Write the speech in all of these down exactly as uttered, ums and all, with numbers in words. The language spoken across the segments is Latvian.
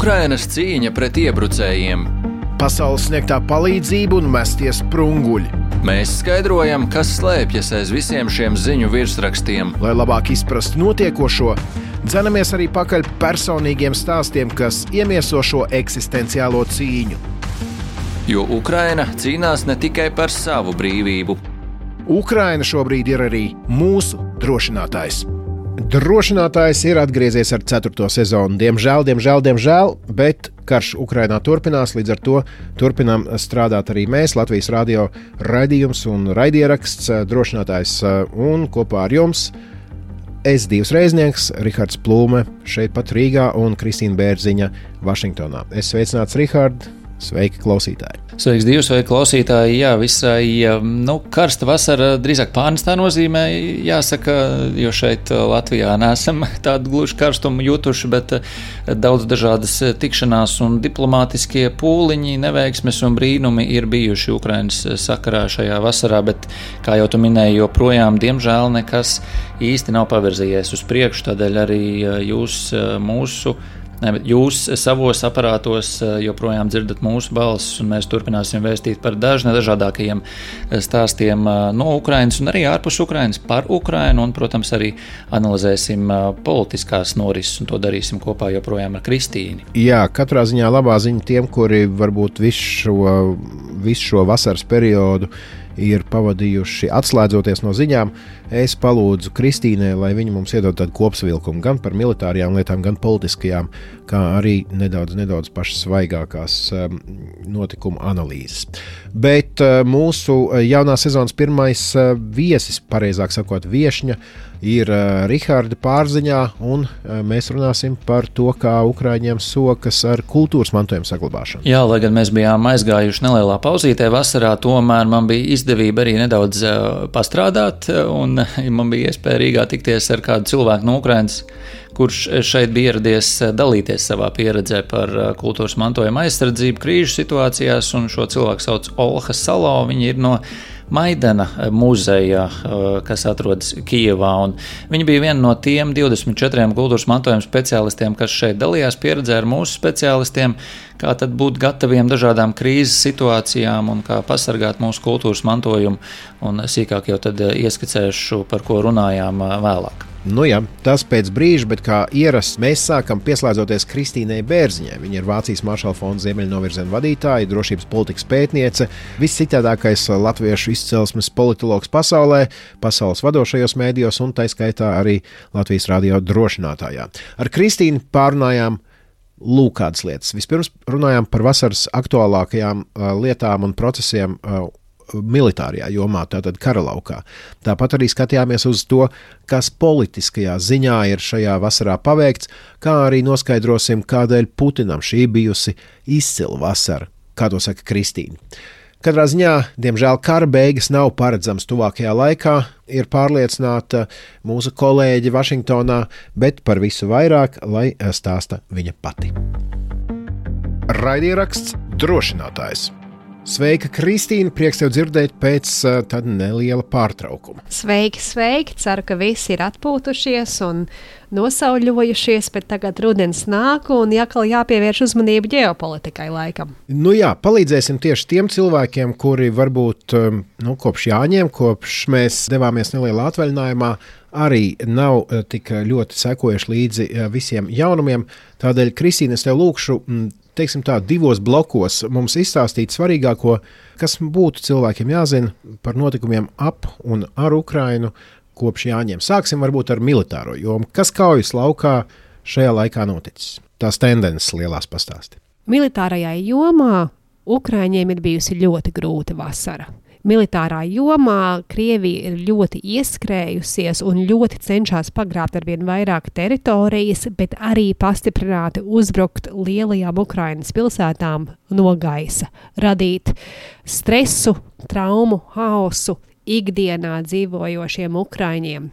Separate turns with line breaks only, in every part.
Ukrainas cīņa pret iebrucējiem.
Pasaules sniegtā palīdzība un mestie sprunguļi.
Mēs skaidrojam, kas slēpjas aiz visiem šiem ziņu virsrakstiem.
Lai labāk izprastu notiekošo, dzenamies arī pakaļ personīgiem stāstiem, kas iemieso šo eksistenciālo cīņu.
Jo Ukraina cīnās ne tikai par savu brīvību.
Ukraina šobrīd ir arī mūsu drošinātājs. Drošinātājs ir atgriezies ar ceturto sezonu. Diemžēl, diemžēl, diemžēl, bet karš Ukrainā turpinās, līdz ar to turpinām strādāt arī mēs, Latvijas radio raidījums un raidieraksts Drošinātājs, un kopā ar jums es divs reiznieks, Rihards Plūme, šeit pat Rīgā, un Kristīna Bērziņa Vašingtonā. Es sveicināts, Rihard! Sveiki, klausītāji!
Sveiks, divi, sveiki, klausītāji! Jā, visai nu, karsta vasara, drīzāk pārnestā nozīmē, jāsaka, jo šeit Latvijā neesam tādu gluži karstumu jutuši, bet daudz dažādas tikšanās un diplomātiskie pūliņi, neveiksmes un brīnumi ir bijuši Ukrainas sakarā šajā vasarā, bet, kā jau tu minēji, joprojām, diemžēl, nekas īsti nav pavirzījies uz priekšu, tādēļ arī jūs mūsu Jūs savos aparātos joprojām dzirdat mūsu balsis, un mēs turpināsim vēstīt par dažna dažādākajiem stāstiem no Ukrainas un arī ārpus Ukrainas par Ukrainu, un, protams, arī analizēsim politiskās norises, un to darīsim kopā joprojām ar Kristīni.
Jā, katrā ziņā labā ziņa tiem, kuri varbūt visu šo, visu šo vasaras periodu ir pavadījuši atslēdzoties no ziņām. Es palūdzu Kristīnai, lai viņa mums iedod tādu kopsavilkumu gan par militārajām lietām, gan politiskajām, kā arī nedaudz, nedaudz pašas svaigākās um, notikumu analīzes. Bet uh, mūsu jaunā sezonas pirmais uh, viesis, pareizāk sakot viešņa, ir uh, Riharda pārziņā, un uh, mēs runāsim par to, kā Ukraiņiem sokas ar kultūras mantojuma saglabāšanu.
Jā, lai gan mēs bijām aizgājuši nelielā pauzītē vasarā, tomēr man bija izdevība arī nedaudz uh, pastrādāt, un man bija iespēja Rīgā tikties ar kādu cilvēku no Ukrainas, kurš šeit bija ieradies dalīties savā pieredzē par kultūras mantojuma aizsardzību krīžu situācijās, un šo cilvēku sauc Olha Salo. Viņa ir no Maidana muzeja, kas atrodas Kijevā, un viņa bija viena no tiem divdesmit četriem kultūras mantojuma speciālistiem, kas šeit dalījās pieredzē ar mūsu speciālistiem, kā tad būt gataviem dažādām krīzes situācijām un kā pasargāt mūsu kultūras mantojumu, un sīkāk jau tad ieskicēšu, par ko runājām vēlāk.
Nu jā, tas pēc brīža, bet kā ierasts, mēs sākam pieslēdzoties Kristīnai Bērziņai. Viņa ir Vācijas Maršala fonda ziemeļnovirziena vadītāja, drošības politikas pētniece, viscitādākais latviešu izcelsmes politologs pasaulē, pasaules vadošajos mēdījos un taiskaitā arī Latvijas radio drošinātājā. Ar Kristīnu pārunājām lūk kādas lietas. Vispirms runājām par vasaras aktuālākajām uh, lietām un procesiem uh, militārajā jomā, tātad karalaukā. Tāpat arī skatījāmies uz to, kas politiskajā ziņā ir šajā vasarā paveikts, kā arī noskaidrosim, kādēļ Putinam šī bijusi izcila vasara, kā to saka Kristīna. Katrā ziņā, diemžēl, kara beigas nav paredzams tuvākajā laikā, ir pārliecināta mūsu kolēģi Vašingtonā, bet par visu vairāk, lai stāsta viņa pati. Raidieraksts Drošinātājs. Sveika, Kristīna! Prieks tev dzirdēt pēc uh, tāda neliela pārtraukuma.
Sveiki, sveiki! Ceru, ka visi ir atpūtušies un nosauļojušies, bet tagad rudens nāk un jākal jāpievērš uzmanību ģeopolitikai laikam.
Nu jā, palīdzēsim tieši tiem cilvēkiem, kuri varbūt um, nu, kopš Jāņiem, kopš mēs devāmies nelielā atvaļinājumā, arī nav uh, tik ļoti sekojuši līdzi uh, visiem jaunumiem. Tādēļ, Kristīna, es tev lūkšu, mm, teiksim tā, divos blokos mums izstāstīt svarīgāko, kas būtu cilvēkiem jāzina par notikumiem ap un ar Ukrainu kopš Jāņiem. Sāksim varbūt ar militāro jomu. Kas kaujas laukā šajā laikā noticis? Tās tendences lielās pastāsti.
Militārajā jomā Ukraiņiem ir bijusi ļoti grūta vasara. Militārā jomā Krievija ir ļoti ieskrējusies un ļoti cenšas pagrābt ar vien vairāk teritorijas, bet arī pastiprināti uzbrukt lielajām Ukrainas pilsētām no gaisa, radīt stresu, traumu, haosu ikdienā dzīvojošiem Ukraiņiem.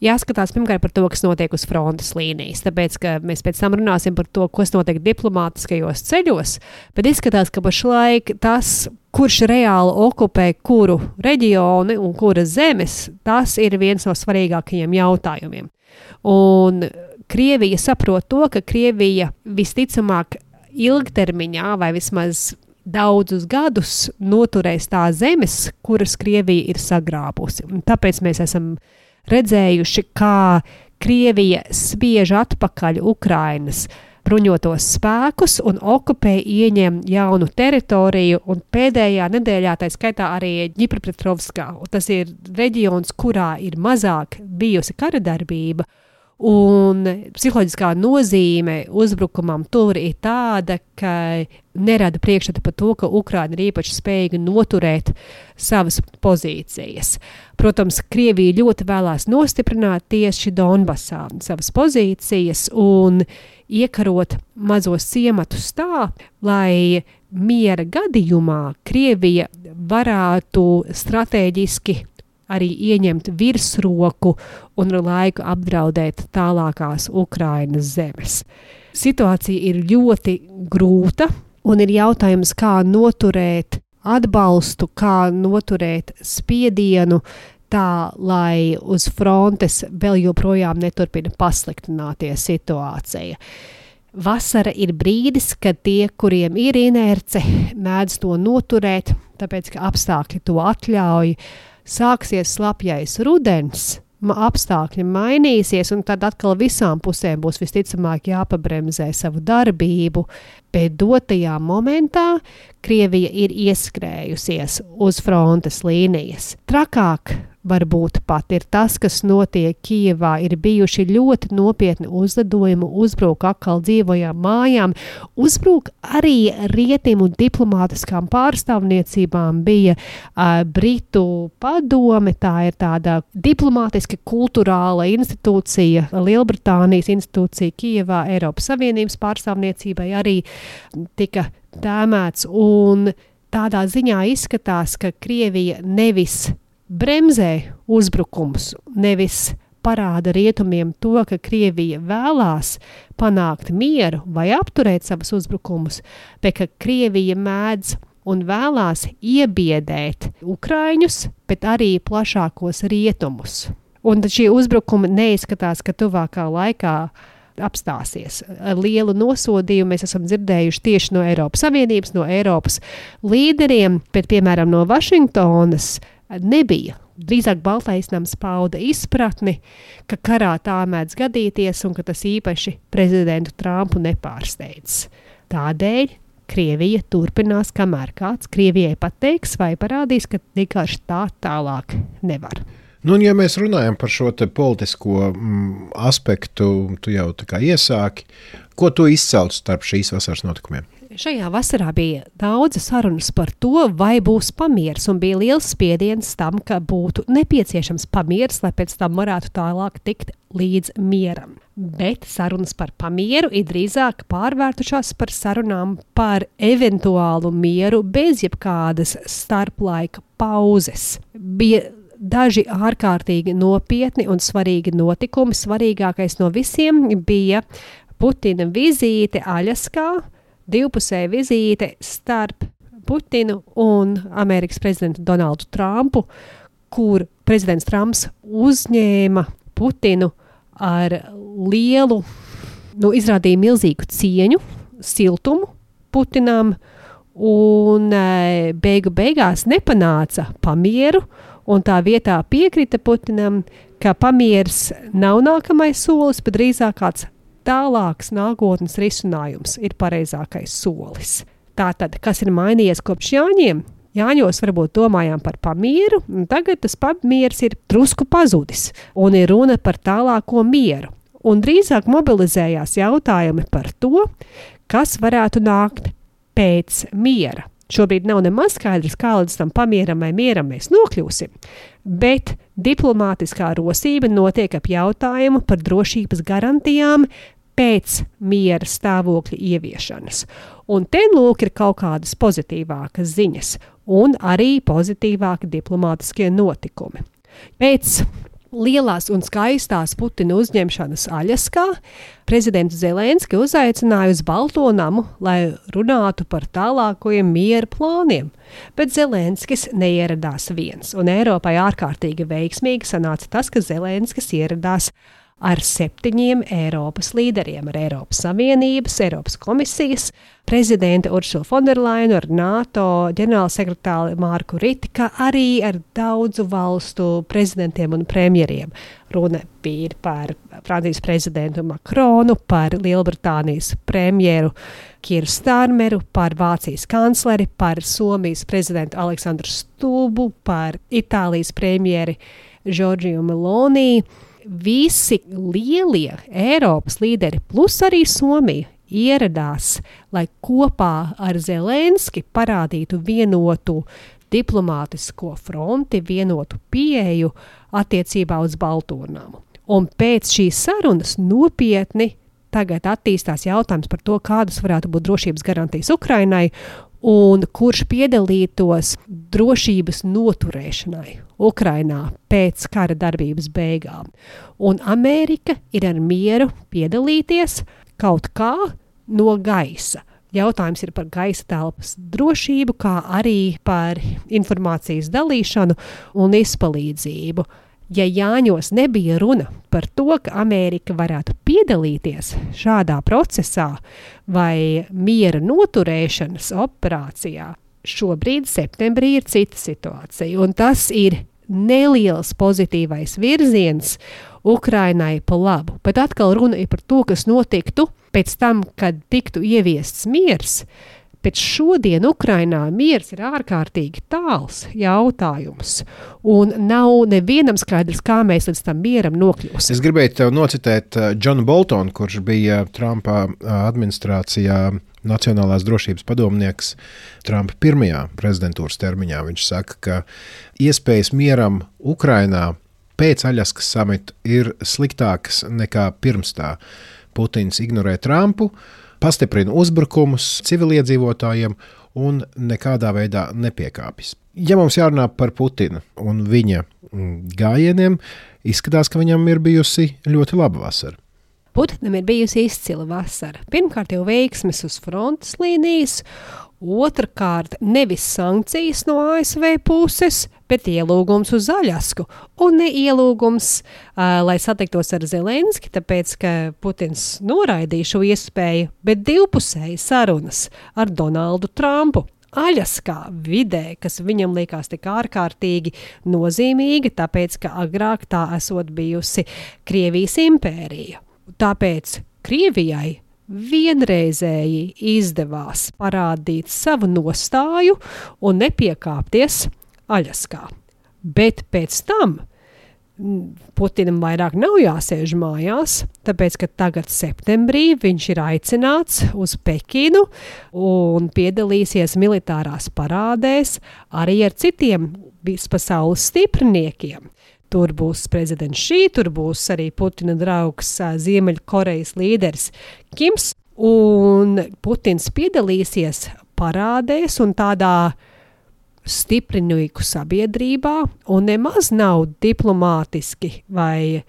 Jāskatās pirmkārt par to, kas notiek uz frontes līnijas, tāpēc, ka mēs pēc tam runāsim par to, kas notiek diplomātiskajos ceļos, bet izskatās, ka pašlaik tas, kurš reāli okupē kuru reģioni un kuras zemes, tas ir viens no svarīgākajiem jautājumiem. Un Krievija saprot to, ka Krievija visticamāk ilgtermiņā vai vismaz daudzus gadus noturēs tās zemes, kuras Krievija ir sagrābusi. Un tāpēc mēs esam redzējuši, kā Krievija spiež atpakaļ Ukrainas bruņotos spēkus un okupē, ieņem jaunu teritoriju, un pēdējā nedēļā tā skaitā arī Ģipropetrovskā. Tas ir reģions, kurā ir mazāk bijusi kara darbība, un psiholoģiskā nozīme uzbrukumam tur ir tāda, ka nerada priekšstatu par to, ka Ukraina ir īpaši spējīga noturēt savas pozīcijas. Protams, Krievija ļoti vēlās nostiprināt tieši Donbasā savas pozīcijas un iekarot mazos ciematus tā, lai miera gadījumā Krievija varētu stratēģiski arī ieņemt virsroku un ar laiku apdraudēt tālākās Ukrainas zemes. Situācija ir ļoti grūta un ir jautājums, kā noturēt atbalstu, kā noturēt spiedienu tā, lai uz frontes vēl joprojām neturpina pasliktināties situācija. Vasara ir brīdis, kad tie, kuriem ir inerce, mēdz to noturēt, tāpēc, ka apstākļi to atļauj. Sāksies slapjais rudens, apstākļi mainīsies, un tad atkal visām pusēm būs visticamāk jāpabremzē savu darbību, bet dotajā momentā Krievija ir ieskrējusies uz frontes līnijas. Trakāk varbūt pat ir tas, kas notiek Kijevā, ir bijuši ļoti nopietni uzlidojumi, uzbruk atkal dzīvojām mājām, uzbruk arī rietim un diplomātiskām pārstāvniecībām bija uh, Britu padome, tā ir tāda diplomātiska kulturāla institūcija, Lielbritānijas institūcija Kijevā, Eiropas Savienības pārstāvniecībai arī tika tēmēts, un tādā ziņā izskatās, ka Krievija nevis bremzē uzbrukums, nevis parāda rietumiem to, ka Krievija vēlās panākt mieru vai apturēt savus uzbrukumus, bet ka Krievija mēdz un vēlās iebiedēt Ukraiņus, bet arī plašākos rietumus. Un šie uzbrukumi neizskatās, ka tuvākā laikā apstāsies. Lielu nosodījumu mēs esam dzirdējuši tieši no Eiropas Savienības, no Eiropas līderiem, bet piemēram no Vašingtonas nebija. Drīzāk Baltais nams pauda izpratni, ka karā tā mēdz gadīties un ka tas īpaši prezidentu Trumpu nepārsteidz. Tādēļ Krievija turpinās, kamēr kāds Krievijai pateiks vai parādīs, ka vienkārši tā tālāk nevar.
Nu, un ja mēs runājam par šo te politisko mm, aspektu, tu jau tā kā iesāki, ko tu izcelt starp šīs vasaras notikumiem?
Šajā vasarā bija daudz sarunas par to, vai būs pamieris, un bija liels spiediens tam, ka būtu nepieciešams pamieris, lai pēc tam varētu tālāk tikt līdz mieram. Bet sarunas par pamieru ir drīzāk pārvērtušās par sarunām par eventuālu mieru bez jebkādas starplaika pauzes. Bija daži ārkārtīgi nopietni un svarīgi notikumi. Svarīgākais no visiem bija Putina vizīte Aļaskā, divpusēja vizīte starp Putinu un Amerikas prezidentu Donaldu Trumpu, kur prezidents Trumps uzņēma Putinu ar lielu, nu, izrādīja milzīgu cieņu, siltumu Putinam, un e, beigu beigās nepanāca pamieru, un tā vietā piekrita Putinam, ka pamieris nav nākamais solis, bet drīzāk kāds tālāks nākotnes risinājums ir pareizākais solis. Tātad, kas ir mainījies kopš Jāņiem? Jāņos varbūt domājām par pamieru, un tagad tas pamieris ir drusku pazudis, un ir runa par tālāko mieru. Un drīzāk mobilizējās jautājumi par to, kas varētu nākt pēc miera. Šobrīd nav nemaz skaidrs, kā līdz tam pamieram vai mieram mēs nokļūsim, bet diplomātiskā rosība notiek ap jautājumu par drošības garantijām pēc miera stāvokļa ieviešanas. Un te lūk ir kaut kādas pozitīvākas ziņas un arī pozitīvāki diplomātiskie notikumi. Pēc lielās un skaistās Putina uzņemšanas Aļaskā prezidentu Zelenski uzaicināja uz Balto namu, lai runātu par tālākajiem miera plāniem. Bet Zelenskis neieradās viens, un Eiropai ārkārtīgi veiksmīgi sanāca tas, ka Zelenskis ieradās ar septiņiem Eiropas līderiem, ar Eiropas Savienības, Eiropas komisijas prezidenti Ursulu Fonderlainu, ar NATO ģenerālsekretāru Marku Riti, kā arī ar daudzu valstu prezidentiem un premjeriem. Runa bija par Francijas prezidentu Makronu, par Lielbritānijas premjeru Kieru Starmeru, par Vācijas kancleri, par Somijas prezidentu Aleksandru Stulbu, par Itālijas premjeri Giorgio Meloni. Visi lielie Eiropas līderi, plus arī Somija, ieradās, lai kopā ar Zelenski parādītu vienotu diplomātisko fronti, vienotu pieeju attiecībā uz Baltūrnamu. Un pēc šīs sarunas nopietni tagad attīstās jautājums par to, kādas varētu būt drošības garantijas Ukrainai un kurš piedalītos drošības noturēšanai Ukrainā pēc kara darbības beigām. Un Amerika ir ar mieru piedalīties kaut kā no gaisa. Jautājums ir par gaisa telpas drošību, kā arī par informācijas dalīšanu un izpalīdzību. Ja Jāņos nebija runa par to, ka Amerika varētu piedalīties šādā procesā vai miera noturēšanas operācijā, šobrīd septembrī ir cita situācija, un tas ir neliels pozitīvais virziens Ukrainai pa labu. Bet atkal runa ir par to, kas notiktu pēc tam, kad tiktu ieviests miers. Pēc šodien Ukrainā miers ir ārkārtīgi tāls jautājums, un nav nevienam skaidrs, kā mēs līdz tam mieram nokļūsim.
Es gribēju tev nocitēt Džonu Boltonu, kurš bija Trumpa administrācijā Nacionālās drošības padomnieks Trumpa pirmajā prezidentūras termiņā. Viņš saka, ka iespējas mieram Ukrainā pēc Aļaskas samita ir sliktākas nekā pirms tā. Putins ignorē Trumpu, pastiprina uzbrukumus civiliedzīvotājiem un nekādā veidā nepiekāpjas. Ja mums jārunā par Putinu un viņa gājieniem, izskatās, ka viņam ir bijusi ļoti laba vasara.
Putinam ir bijusi izcila vasara. Pirmkārt jau veiksmes uz frontes līnijas, otrkārt nevis sankcijas no A S V puses, bet ielūgums uz Aļasku. Un ne ielūgums, uh, lai satiktos ar Zelenski, tāpēc, ka Putins noraidīja šo iespēju, bet divpusēji sarunas ar Donaldu Trumpu. Aļaskā vidē, kas viņam likās tik ārkārtīgi nozīmīga, tāpēc, ka agrāk tā esot bijusi Krievijas impērija. Tāpēc Krievijai vienreizēji izdevās parādīt savu nostāju un nepiekāpties Aļaskā. Bet pēc tam Putinam vairāk nav jāsēž mājās, tāpēc, ka tagad septembrī viņš ir aicināts uz Pekinu un piedalīsies militārās parādēs arī ar citiem vispasaules stipriniekiem. Tur būs prezidents Šī, tur būs arī Putina draugs Ziemeļkorejas līderis Kims, un Putins piedalīsies parādēs un tādā stiprinīgu sabiedrībā, un nemaz nav diplomātiski vai e,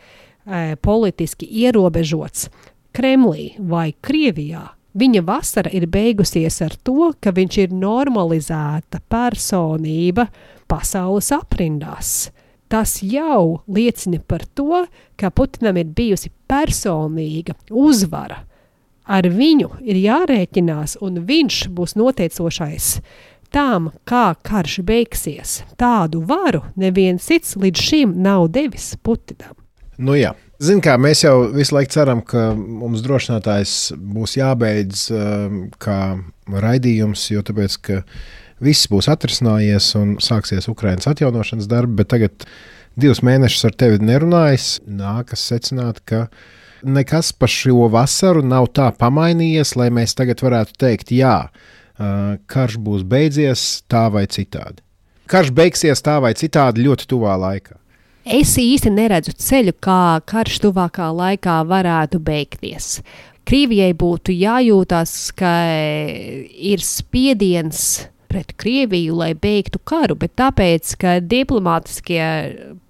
politiski ierobežots Kremlī vai Krievijā. Viņa vasara ir beigusies ar to, ka viņš ir normalizēta personība pasaules aprindās. Tas jau liecina par to, ka Putinam ir bijusi personīga uzvara. Ar viņu ir jārēķinās, un viņš būs noteicošais tām, kā karš beigsies. Tādu varu neviens cits līdz šim nav devis Putinam.
Nu jā. Zin kā, mēs jau visu laiku ceram, ka mums drošinātājs būs jābeidz kā raidījums, jo tāpēc, ka viss būs atrisinājies un sāksies Ukrainas atjaunošanas darbi, bet tagad divus mēnešus ar tevi nerunājis, nākas secināt, ka nekas pa šo vasaru nav tā pamainījies, lai mēs tagad varētu teikt, jā, karš būs beidzies tā vai citādi. Karš beigsies tā vai citādi ļoti tuvā laikā.
Es īsti neredzu ceļu, kā karš tuvākā laikā varētu beigties. Krievijai būtu jājūtās, ka ir spiediens pret Krieviju, lai beigtu karu, bet tāpēc, ka diplomātiskie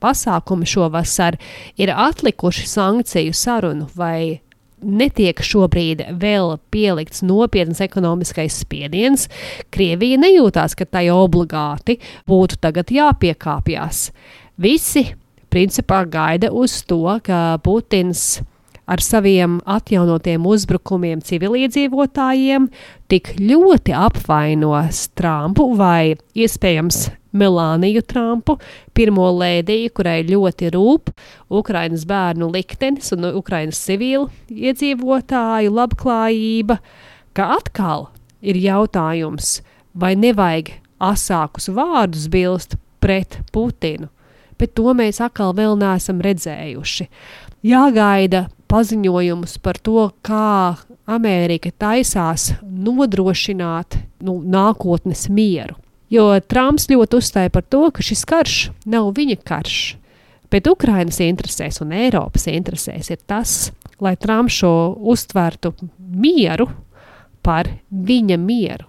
pasākumi šovasar ir atlikuši sankciju sarunu vai netiek šobrīd vēl pielikts nopietns ekonomiskais spiediens, Krievija nejūtās, ka tai obligāti būtu tagad jāpiekāpjas. Visi principā gaida uz to, ka Putins ar saviem atjaunotiem uzbrukumiem civiliedzīvotājiem tik ļoti apvainos Trumpu vai iespējams Melāniju Trumpu, pirmo lēdiju, kurai ļoti rūp Ukrainas bērnu liktenis un Ukrainas civilu iedzīvotāju labklājība, ka atkal ir jautājums, vai nevajag asākus vārdus bilst pret Putinu, bet to mēs atkal vēl neesam redzējuši. Jāgaida paziņojumus par to, kā Amerika taisās nodrošināt nu, nākotnes mieru. Jo Trumps ļoti uzstāja par to, ka šis karš nav viņa karš, bet Ukrainas interesēs un Eiropas interesēs ir tas, lai Trumps šo uztvertu mieru par viņa mieru.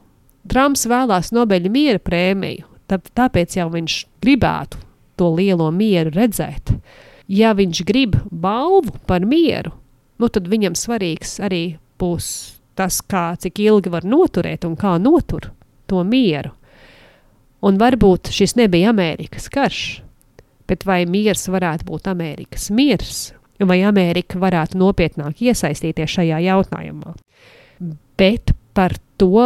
Trumps vēlās Nobeļa miera prēmiju, tā, tāpēc jau viņš gribētu to lielo mieru redzēt. Ja viņš grib balvu par mieru, nu tad viņam svarīgs arī būs tas, kā, cik ilgi var noturēt un kā notur to mieru. Un varbūt šis nebija Amerikas karš, bet vai miers varētu būt Amerikas miers, vai Amerika varētu nopietnāk iesaistīties šajā jautājumā. Bet par to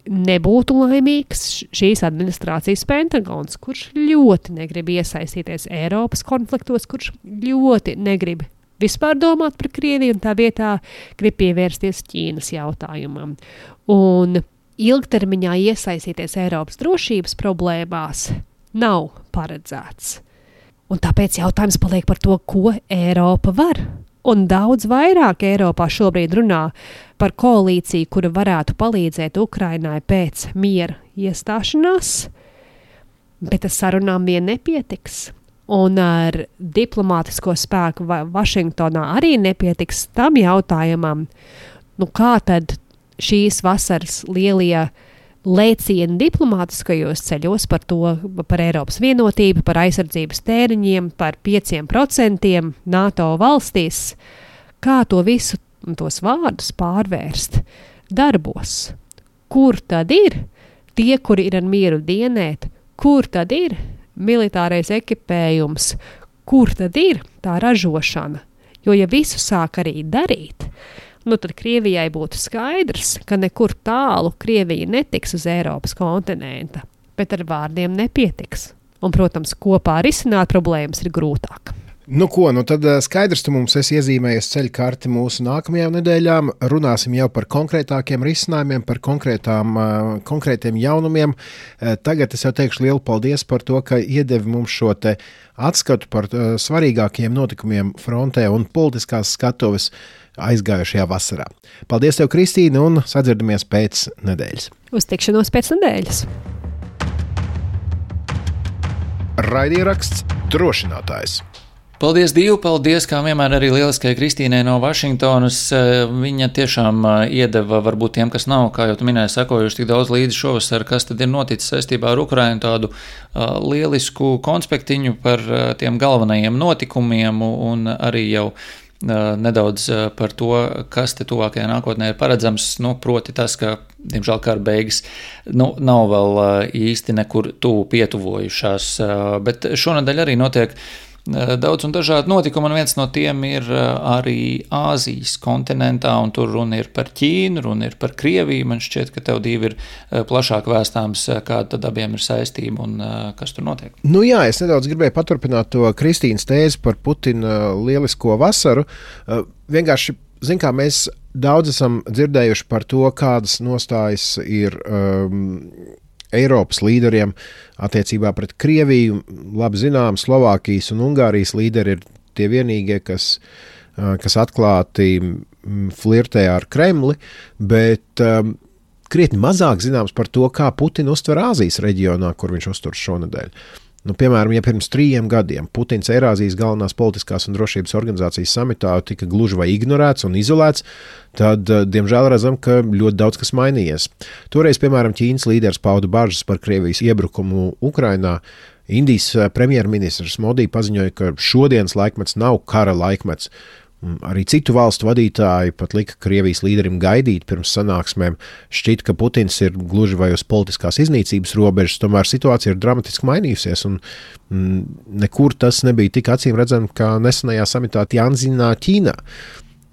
nebūtu laimīgs šīs administrācijas Pentagons, kurš ļoti negrib iesaistīties Eiropas konfliktos, kurš ļoti negrib vispār domāt par Krieviju un tā vietā grib pievērsties Ķīnas jautājumam. Un ilgtermiņā iesaistīties Eiropas drošības problēmās nav paredzēts. Un tāpēc jautājums paliek par to, ko Eiropa var. Un daudz vairāk Eiropā šobrīd runā par koalīciju, kura varētu palīdzēt Ukrainai pēc miera iestāšanās, bet ar sarunām vien nepietiks. Un ar diplomātisko spēku Vašingtonā arī nepietiks tam jautājumam, nu kā tad šīs vasaras lielie lēcieni diplomātiskajos ceļos par to, par Eiropas vienotību, par aizsardzības tēriņiem, par pieciem procentiem NATO valstīs, kā to visu, tos vārdus pārvērst darbos. Kur tad ir tie, kuri ir ar mieru dienēt, kur tad ir militārais ekipējums, kur tad ir tā ražošana? Jo ja visu sāk arī darīt, nu tad Krievijai būtu skaidrs, ka nekur tālu Krievija netiks uz Eiropas kontinenta, bet ar vārdiem nepietiks. Un, protams, kopā risināt problēmas ir grūtāk.
Nu ko, nu tad skaidrs, tu mums esi iezīmējies ceļu karti mūsu nākamajām nedēļām. Runāsim jau par konkrētākiem risinājumiem, par konkrētām, konkrētiem jaunumiem. Tagad es jau teikšu lielu paldies par to, ka iedevi mums šo te atskatu par svarīgākiem notikumiem frontē un politiskās skatuves aizgājušajā vasarā. Paldies tev, Kristīne, un sadzirdamies pēc nedēļas.
Uz tikšanos pēc nedēļas.
Raidieraksts Drošinātājs.
Paldies, Dievu, paldies, kā vienmēr arī lieliskai Kristīnei no Vašingtonas. Viņa tiešām iedeva varbūt tiem, kas nav, kā jau tu minēji, sekojuši tik daudz līdzi šovasar, kas tad ir noticis saistībā ar Ukrainu, tādu uh, lielisku konspektiņu par uh, tiem galvenajiem notikumiem un arī jau uh, nedaudz uh, par to, kas te tuvākajā nākotnē ir paredzams, nu, proti tas, ka, diemžēl, kara beigas nu, nav vēl uh, īsti nekur tuvu pietuvojušās, uh, bet šonadēļ arī notiek daudz un dažādi notikumi, un viens no tiem ir arī Āzijas kontinentā, un tur runa ir par Ķīnu, runa ir par Krieviju. Man šķiet, ka tev divi ir plašāk vēstāms, kāda tad abiem ir saistība un kas tur notiek.
Nu jā, es nedaudz gribēju paturpināt to Kristīnas tēzi par Putina lielisko vasaru. Vienkārši, zin kā, mēs daudz esam dzirdējuši par to, kādas nostājas ir um, Eiropas līderiem attiecībā pret Krieviju. Labi zinām, Slovākijas un Ungārijas līderi ir tie vienīgie, kas, kas atklāti flirtē ar Kremli, bet um, krietni mazāk zināms par to, kā Putina uztver Āzijas reģionā, kur viņš uztur šonadēļ. Nu, piemēram, ja pirms trījiem gadiem Putins Eirāzijas galvenās politiskās un drošības organizācijas samitā tika gluži vai ignorēts un izolēts, tad, diemžēl, redzam, ka ļoti daudz kas mainījies. Toreiz, piemēram, Ķīnas līderis pauda bažas par Krievijas iebrukumu Ukrainā. Indijas premjerministrs Modi paziņoja, ka šodienas laikmets nav kara laikmets. Arī citu valstu vadītāji pat lika Krievijas līderim gaidīt pirms sanāksmēm. Šķiet, ka Putins ir gluži vai uz politiskās iznīcības robežas, tomēr situācija ir dramatiski mainījusies, un mm, nekur tas nebija tik acīm redzami, kā nesenajā samitā Tjanzinā, Ķīnā.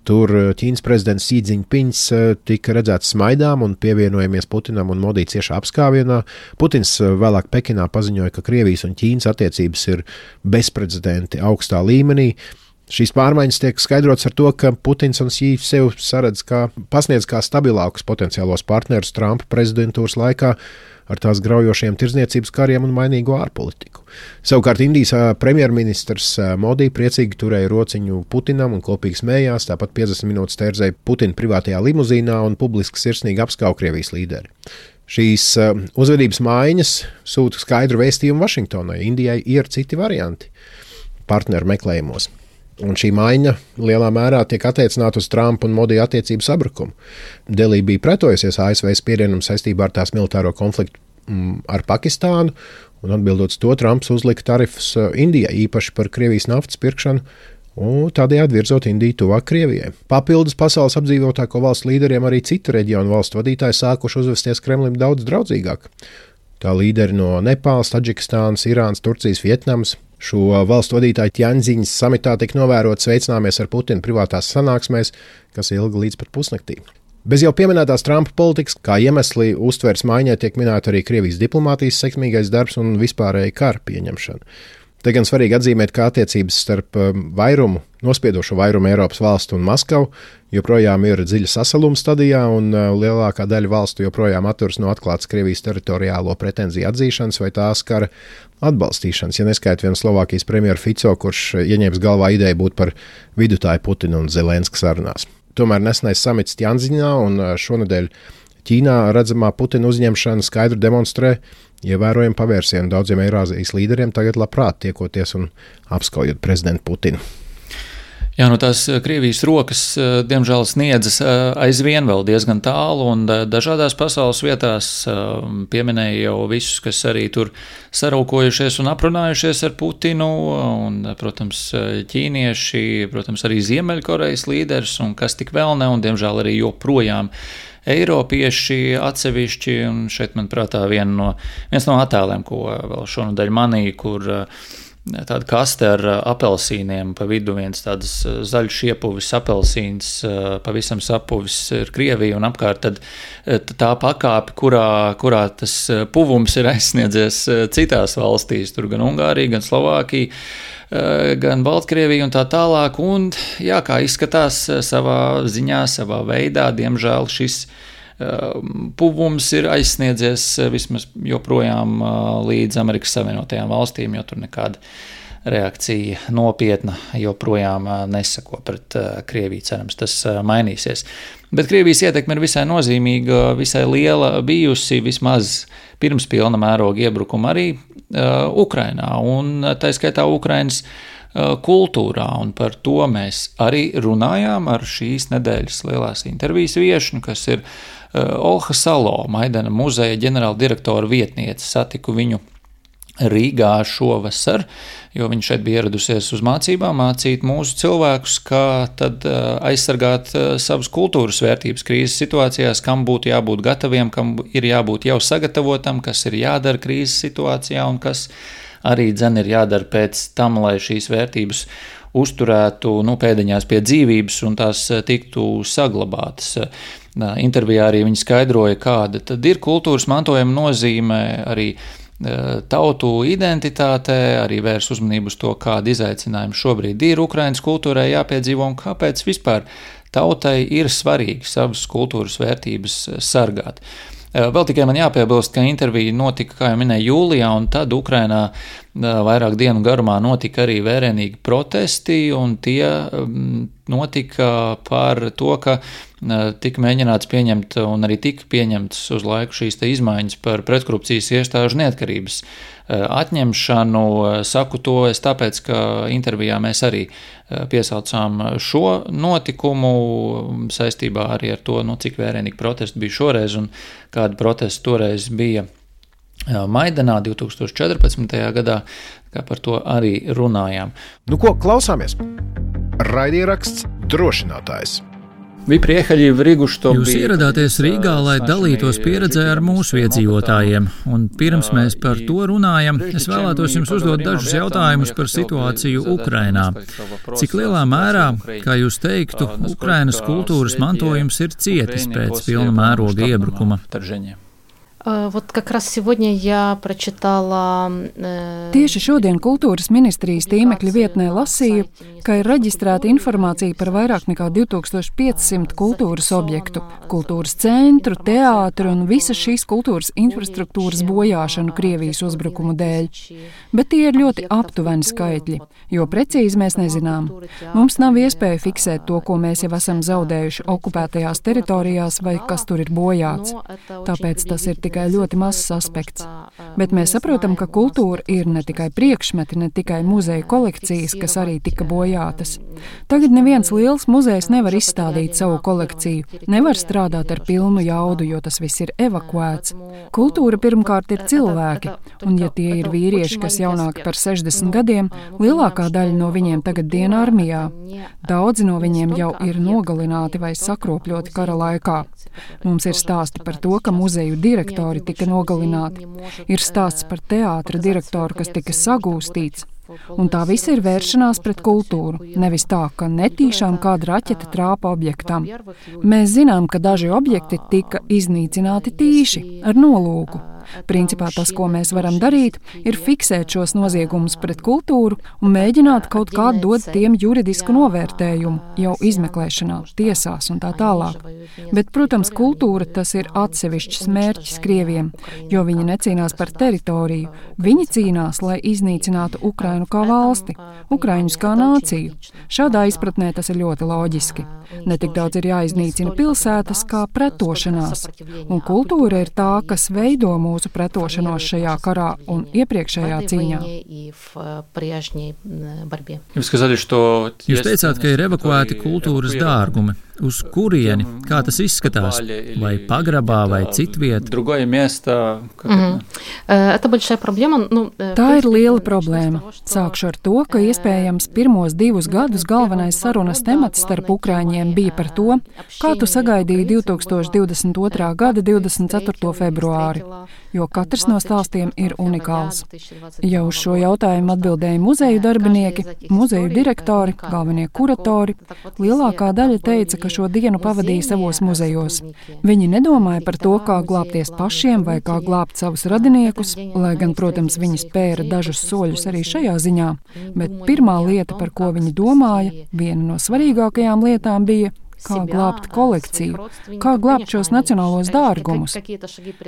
Tur Ķīnas prezidents Xi Jinpings tika redzēts smaidām un pievienojamies Putinam un Modi ciešā apskāvienā. Putins vēlāk Pekinā paziņoja, ka Krievijas un Ķīnas attiecības ir bezprecedenti augstā līmenī. Šīs pārmaiņas tiek skaidrots ar to, ka Putins un Xi sev saredz kā pasniedz kā stabilākus potenciālos partnerus Trumpa prezidentūras laikā ar tās graujošiem tirdzniecības kariem un mainīgo ārpolitiku. Savukārt Indijas premjerministrs Modi priecīgi turēja rociņu Putinam un kopīgi smējās, tāpat piecdesmit minūtes tērzēja Putina privātajā limuzīnā un publiski sirsnīgi apskauj Krievijas līderi. Šīs uzvedības maiņas sūta skaidru vēstījumu Vašingtonai. Indijai ir citi varianti partneru meklējumos. Un šī maiņa lielā mērā tiek attiecināta uz Trumpa un Modi attiecību sabrukumu. Delī bija pretojusies A S V spiedienam saistībā ar tās militāro konfliktu mm, ar Pakistānu, un atbildot uz to, Trumps uzlika tarifus Indijai, īpaši par Krievijas naftas pirkšanu, un tādējādi virzot Indiju tuvāk Krievijai. Papildus pasaules apdzīvotāko valstu līderiem arī citu reģionu valstu vadītāji sākuši uzvesties Kremlim daudz draudzīgāk. Tā līderi no Nepāles, Tadžikistānas, Irānas, Turcijas, Vietnamas. Šo valstu vadītāju Tjanziņas samitā tika novērot sveicināmies ar Putinu privātās sanāksmēs, kas ilga līdz pat pusnaktī. Bez jau pieminētās Trumpa politikas, kā iemesli uztveres maiņai tiek minēta arī Krievijas diplomātijas sekmīgais darbs un vispārēja kara pieņemšana. Te gan svarīgi atzīmēt, ka attiecības starp vairumu, nospiedošo vairumu Eiropas valstu un Maskavu joprojām ir dziļa sasaluma stadijā, un lielākā daļa valstu joprojām atturas no atklātas Krievijas teritoriālo pretenziju atzīšanas vai tās kara atbalstīšanas, ja neskaita vien Slovākijas premjeru Fico, kurš ieņēmis galvā ideju būt par vidutāju Putina un Zelenska sarunās. Tomēr nesenais samits Tjanziņā un šonedēļ Ķīnā redzamā Putina uzņemšana skaidri demonstrē ievērojami pavērsienu daudziem Eirāzijas līderiem tagad labprāt tiekoties un apskaujot prezidentu Putinu.
Jā, nu tās Krievijas rokas, diemžēl, sniedzas aizvien vēl diezgan tālu, un dažādās pasaules vietās pieminēja jau visus, kas arī tur saraukojušies un aprunājušies ar Putinu, un, protams, ķīnieši, protams, arī Ziemeļkorejas līderis, un kas tik vēl ne, un, diemžēl, arī joprojām Eiropieši atsevišķi, un šeit, manuprāt, viena no, viens no attēliem, ko vēl šonadēļ manīja, kur tāda kaste ar apelsīniem, pa vidu viens tādas zaļš iepuvis apelsīns, pavisam sapuvis ir Krievija, un apkārt tad tā pakāpe, kurā, kurā tas puvums ir aizsniedzies citās valstīs, tur gan Ungārija, gan Slovākija, gan Baltkrievija un tā tālāk, un jā, kā izskatās savā ziņā, savā veidā, diemžēl šis puvums ir aizsniedzies vismaz joprojām līdz Amerikas Savienotajām valstīm, jo tur nekāda reakcija nopietna joprojām nesako pret Krieviju, cerams, tas mainīsies. Bet Krievijas ietekme ir visai nozīmīga, visai liela bijusi, vismaz pirms pilna mēroga iebrukuma arī uh, Ukrainā, un tā skaitā Ukrainas uh, kultūrā, un par to mēs arī runājām ar šīs nedēļas lielās intervijas viešņu, kas ir uh, Olha Salo, Maidana muzeja ģenerāldirektora vietniece. Satiku viņu Rīgā šovasar, jo viņa šeit bija ieradusies uz mācībām, mācīt mūsu cilvēkus, kā tad aizsargāt savas kultūras vērtības krīzes situācijās, kam būtu jābūt gataviem, kam ir jābūt jau sagatavotam, kas ir jādara krīzes situācijā un kas arī dzen ir jādara pēc tam, lai šīs vērtības uzturētu nu, pēdiņās pie dzīvības un tās tiktu saglabātas. Intervijā arī viņa skaidroja, kāda tad ir kultūras mantojuma nozīme arī tautu identitātē, arī vērs uzmanību uz to, kāda izaicinājuma šobrīd ir Ukrainas kultūrai jāpiedzīvo un kāpēc vispār tautai ir svarīgi savas kultūras vērtības sargāt. Vēl tikai man jāpiebilst, ka intervija notika, kā jau minēju, jūlijā, un tad Ukrainā vairāk dienu garumā notika arī vērienīgi protesti, un tie notika par to, ka tika mēģināts pieņemt un arī tika pieņemts uz laiku šīs te izmaiņas par pretkorupcijas iestāžu neatkarības atņemšanu. Saku to es tāpēc, ka intervijā mēs arī piesaucām šo notikumu saistībā arī ar to, nu, cik vērienīgi protesti bija šoreiz un kāda protesta toreiz bija Maidanā divi tūkstoši četrpadsmitajā gadā, kā par to arī runājām.
Nu ko, klausāmies? Raidieraksts Drošinātājs.
Jūs ieradāties Rīgā, lai dalītos pieredzē ar mūsu iedzīvotājiem, un pirms mēs par to runājam, es vēlētos jums uzdot dažus jautājumus par situāciju Ukrainā. Cik lielā mērā, kā jūs teiktu, Ukrainas kultūras mantojums ir cietis pēc pilna mēroga iebrukuma?
Вот как раз сегодня я прочитала...
Tieši šodien kultūras ministrijas tīmekļa vietnē lasīju, ka ir reģistrēta informācija par vairāk nekā divi tūkstoši piecsimt kultūras objektu, kultūras centru, teātru un visas šīs kultūras infrastruktūras bojāšanu Krievijas uzbrukumu dēļ. Bet tie ir ļoti aptuveni skaitļi, jo precīzi mēs nezinām. Mums nav iespēja fiksēt to, ko mēs jau esam zaudējuši okupētajās teritorijās vai kas tur ir bojāts. Tāpēc tas ir tikai ļoti mazs aspekts. Bet mēs saprotam, ka kultūra ir ne tikai priekšmeti, ne tikai muzeja kolekcijas, kas arī tika bojātas. Tagad neviens liels muzejs nevar izstādīt savu kolekciju, nevar strādāt ar pilnu jaudu, jo tas viss ir evakuēts. Kultūra pirmkārt ir cilvēki, un ja tie ir vīrieši, kas jaunāki par sešdesmit gadiem, lielākā daļa no viņiem tagad dienā armijā. Daudzi no viņiem jau ir nogalināti vai sakropļoti kara laikā. Mums ir stāsti par to, ka muzeju direktori tika nogalināti. Ir stāsts par teātra direktoru, kas tika sagūstīts. Un tā visa ir vēršanās pret kultūru, nevis tā, ka netīšām kāda raķete trāpa objektam. Mēs zinām, ka daži objekti tika iznīcināti tīši, ar nolūku. Principā tas, ko mēs varam darīt, ir fiksēt šos noziegumus pret kultūru un mēģināt kaut kā dot tiem juridisku novērtējumu, jau izmeklēšanā, tiesās un tā tālāk. Bet, protams, kultūra tas ir atsevišķs mērķis Krieviem, jo viņi necīnās par teritoriju. Viņi cīnās, lai iznīcinātu Ukrainu kā valsti, Ukraiņus kā nāciju. Šādā izpratnē tas ir ļoti loģiski. Netik daudz ir jāiznīcina pilsētas kā pretošanās, un kultūra ir tā, kas veido mūsu pretošanos šajā karā un iepriekšējā cīņā.
Jūs teicāt, ka ir evakuēti kultūras dārgumi. Uz kurieni? Kā tas izskatās? Vai pagrabā, vai citvieta?
Mm-hmm.
Tā ir liela problēma. Sākšu ar to, ka iespējams pirmos divus gadus galvenais sarunas temats starp Ukraiņiem bija par to, kā tu sagaidīji divi tūkstoši divdesmit otrā gada divdesmit ceturto februāri, jo katrs no stāstiem ir unikāls. Ja uz šo jautājumu atbildēja muzeju darbinieki, muzeju direktori, galvenie kuratori, lielākā daļa teica, ka šo dienu pavadīja savos muzejos. Viņi nedomāja par to, kā glābties pašiem vai kā glābt savus radiniekus, lai gan, protams, viņi spēra dažus soļus arī šajā ziņā, bet pirmā lieta, par ko viņi domāja, viena no svarīgākajām lietām bija, kā glābt kolekciju, kā glābt šos nacionālos dārgumus.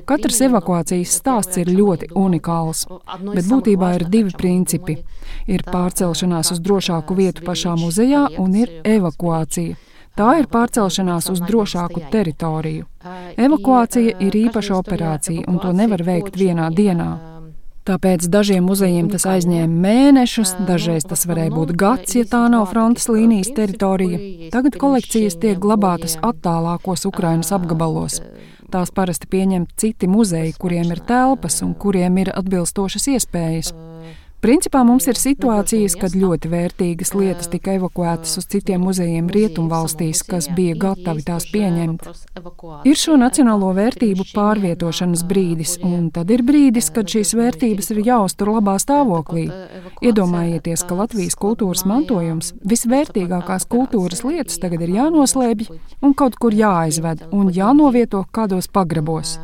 Katrs evakuācijas stāsts ir ļoti unikāls, bet būtībā ir divi principi. Ir pārcelšanās uz drošāku vietu pašā muzejā un ir evakuācija. Tā ir pārcelšanās uz drošāku teritoriju. Evakuācija ir īpaša operācija, un to nevar veikt vienā dienā. Tāpēc dažiem muzejiem tas aizņēma mēnešus, dažreiz tas varēja būt gads, ja tā nav frontes līnijas teritorija. Tagad kolekcijas tiek glabātas attālākos Ukrainas apgabalos. Tās parasti pieņem citi muzeji, kuriem ir telpas un kuriem ir atbilstošas iespējas. Principā mums ir situācijas, kad ļoti vērtīgas lietas tika evakuētas uz citiem muzejiem rietumvalstīs, kas bija gatavi tās pieņemt. Ir šo nacionālo vērtību pārvietošanas brīdis, un tad ir brīdis, kad šīs vērtības ir jāuztur labā stāvoklī. Iedomājieties, ka Latvijas kultūras mantojums, visvērtīgākās kultūras lietas tagad ir jānoslēpj un kaut kur jāaizved un jānovieto kādos pagrabos.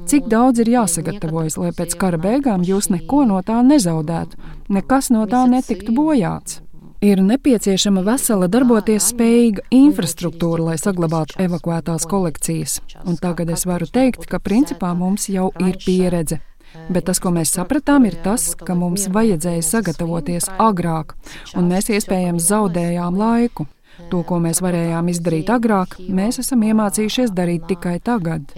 Cik daudz ir jāsagatavojas, lai pēc kara beigām jūs neko no tā nezaudētu, nekas no tā netiktu bojāts? Ir nepieciešama vesela darboties spējīga infrastruktūra, lai saglabātu evakuētās kolekcijas. Un tagad es varu teikt, ka principā mums jau ir pieredze. Bet tas, ko mēs sapratām, ir tas, ka mums vajadzēja sagatavoties agrāk, un mēs iespējams zaudējām laiku. To, ko mēs varējām izdarīt agrāk, mēs esam iemācījušies darīt tikai tagad.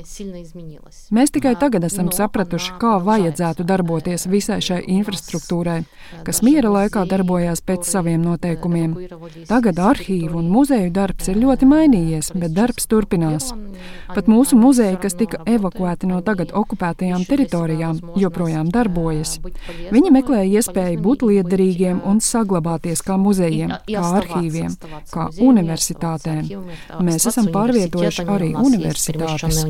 Mēs tikai tagad esam sapratuši, kā vajadzētu darboties visai šai infrastruktūrai, kas miera laikā darbojās pēc saviem noteikumiem. Tagad arhīvu un muzeju darbs ir ļoti mainījies, bet darbs turpinās. Pat mūsu muzeji, kas tika evakuēti no tagad okupētajām teritorijām, joprojām darbojas. Viņi meklē iespēju būt liederīgiem un saglabāties kā muzejiem, kā arhīviem, kā universitātēm. Mēs esam pārvietojuši arī universitātes.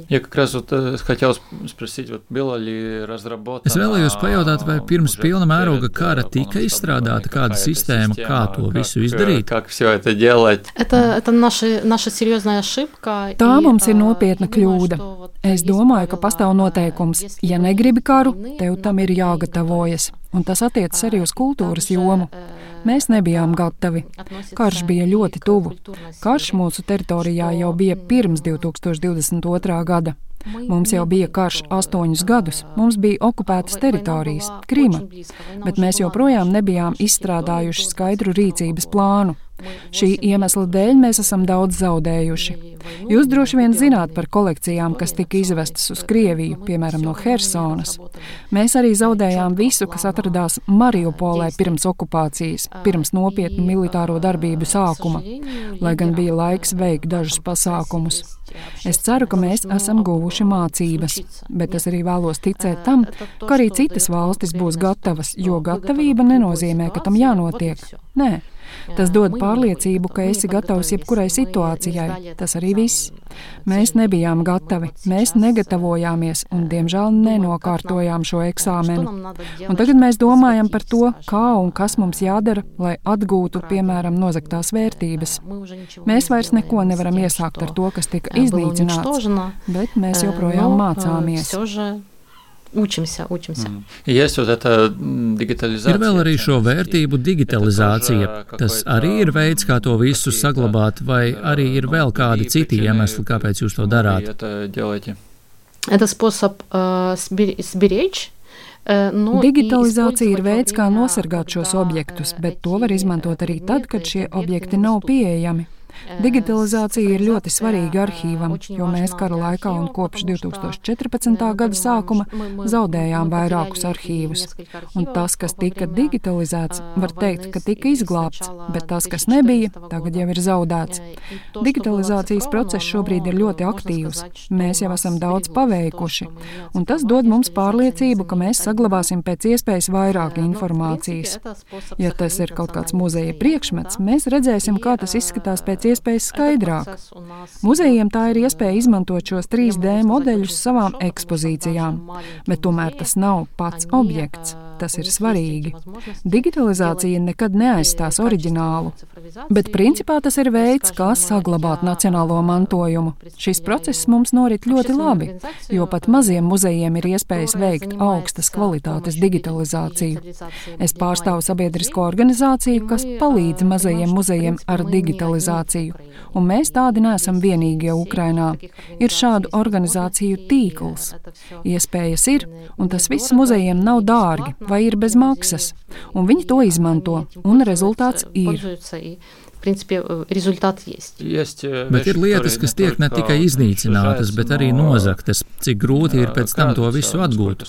Ja, как раз вот хотел спросить, вот было ли разработано...
Es vēlējos pajautāt, vai pirms pilna mēroga kara tika izstrādāta kāda sistēma, kā to visu izdarīt?
Как все это делать?
Это, это наша, наша серьезная ошибка.
Tā mums ir nopietna kļūda. Es domāju, ka pastāv noteikums. Ja negribi karu, tev tam ir jāgatavojas. Un tas attiecas arī uz kultūras jomu. Mēs nebijām gatavi. Karš bija ļoti tuvu. Karš mūsu teritorijā jau bija pirms divi tūkstoši divdesmit otrā gada. Mums jau bija karš astoņus gadus, mums bija okupētas teritorijas, Krima, bet mēs joprojām nebijām izstrādājuši skaidru rīcības plānu. Šī iemesla dēļ mēs esam daudz zaudējuši. Jūs droši vien zināt par kolekcijām, kas tika izvestas uz Krieviju, piemēram, no Hersonas. Mēs arī zaudējām visu, kas atradās Mariupolē pirms okupācijas, pirms nopietnu militāro darbību sākuma, lai gan bija laiks veikt dažus pasākumus. Es ceru, ka mēs esam guvuši mācības, bet es arī vēlos ticēt tam, ka arī citas valstis būs gatavas, jo gatavība nenozīmē, ka tam jānotiek. Nē. Tas dod pārliecību, ka esi gatavs jebkurai situācijai. Tas arī viss. Mēs nebijām gatavi, mēs negatavojāmies un, diemžēl, nenokārtojām šo eksāmenu. Un tagad mēs domājam par to, kā un kas mums jādara, lai atgūtu, piemēram, nozagtās vērtības. Mēs vairs neko nevaram iesākt ar to, kas tika iznīcināts, bet mēs joprojām mācāmies.
Učimся, učimся.
Mm. Есть вот эта digitalizācija.
Ir vēl arī šo vērtību digitalizācija. Tas arī ir veids, kā to visu saglabāt, vai arī ir vēl kādi citi iemesli, kāpēc jūs to darāt?
Это способ сберечь.
Digitalizācija ir veids, kā nosargāt šos objektus, bet to var izmantot arī tad, kad šie objekti nav pieejami. Digitalizācija ir ļoti svarīga arhīvam, jo mēs kara laikā un kopš divi tūkstoši četrpadsmitā gada sākuma zaudējām vairākus arhīvus. Un tas, kas tika digitalizēts, var teikt, ka tika izglābts, bet tas, kas nebija, tagad jau ir zaudēts. Digitalizācijas process šobrīd ir ļoti aktīvs. Mēs jau esam daudz paveikuši, un tas dod mums pārliecību, ka mēs saglabāsim pēc iespējas vairāk informācijas. Ja tas ir kaut kāds muzeja priekšmets, mēs redzēsim, kā tas izskatās pēc iespējas skaidrāk. Muzejiem tā ir iespēja izmantot šos trīs D modeļus savām ekspozīcijām, bet tomēr tas nav pats objekts. Tas ir svarīgi. Digitalizācija nekad neaizstās oriģinālu, bet principā tas ir veids, kā saglabāt nacionālo mantojumu. Šis process mums norit ļoti labi, jo pat maziem muzejiem ir iespējas veikt augstas kvalitātes digitalizāciju. Es pārstāvu sabiedrisko organizāciju, kas palīdz mazajiem muzejiem ar digitalizāciju, un mēs tādi neesam vienīgie Ukrainā. Ir šādu organizāciju tīkls. Iespējas ir, un tas viss muzejiem nav dārgi vai ir bez maksas, un viņi to izmanto, un rezultāts ir.
Bet ir lietas, kas tiek ne tikai iznīcinātas, bet arī nozagtas. Cik grūti ir pēc tam to visu atgūt?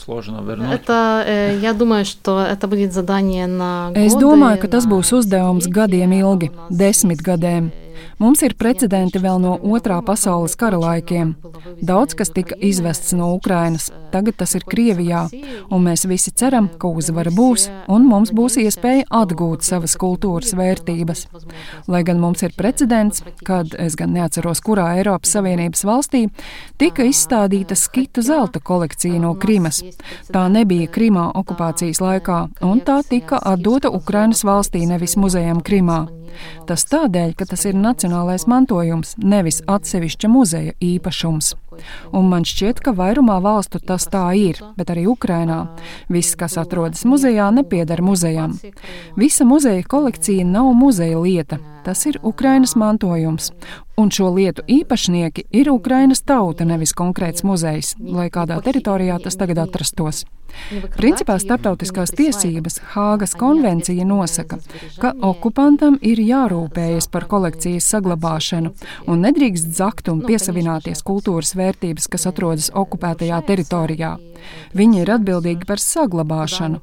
Es domāju, ka tas būs uzdevums gadiem ilgi, desmit gadiem. Mums ir precedenti vēl no otrā pasaules kara laikiem. Daudz, kas tika izvests no Ukrainas, tagad tas ir Krievijā, un mēs visi ceram, ka uzvara būs, un mums būs iespēja atgūt savas kultūras vērtības. Lai gan mums ir precedents, kad, es gan neatceros, kurā Eiropas Savienības valstī, tika izstādīta skitu zelta kolekcija no Krimas. Tā nebija Krimā okupācijas laikā, un tā tika atdota Ukrainas valstī, nevis muzejam Krimā. Tas tādēļ, ka tas ir nacionālais mantojums, nevis atsevišķa muzeja īpašums. Un man šķiet, ka vairumā valstu tas tā ir, bet arī Ukrainā. Viss, kas atrodas muzejā, nepieder muzejam. Visa muzeja kolekcija nav muzeja lieta. Tas ir Ukrainas mantojums. Un šo lietu īpašnieki ir Ukrainas tauta, nevis konkrēts muzejs, lai kādā teritorijā tas tagad atrastos. Principā starptautiskās tiesības Hāgas konvencija nosaka, ka okupantam ir jārūpējas par kolekcijas saglabāšanu un nedrīkst zakt un piesavināties kultūras vērtības, kas atrodas okupētajā teritorijā. Viņi ir atbildīgi par saglabāšanu.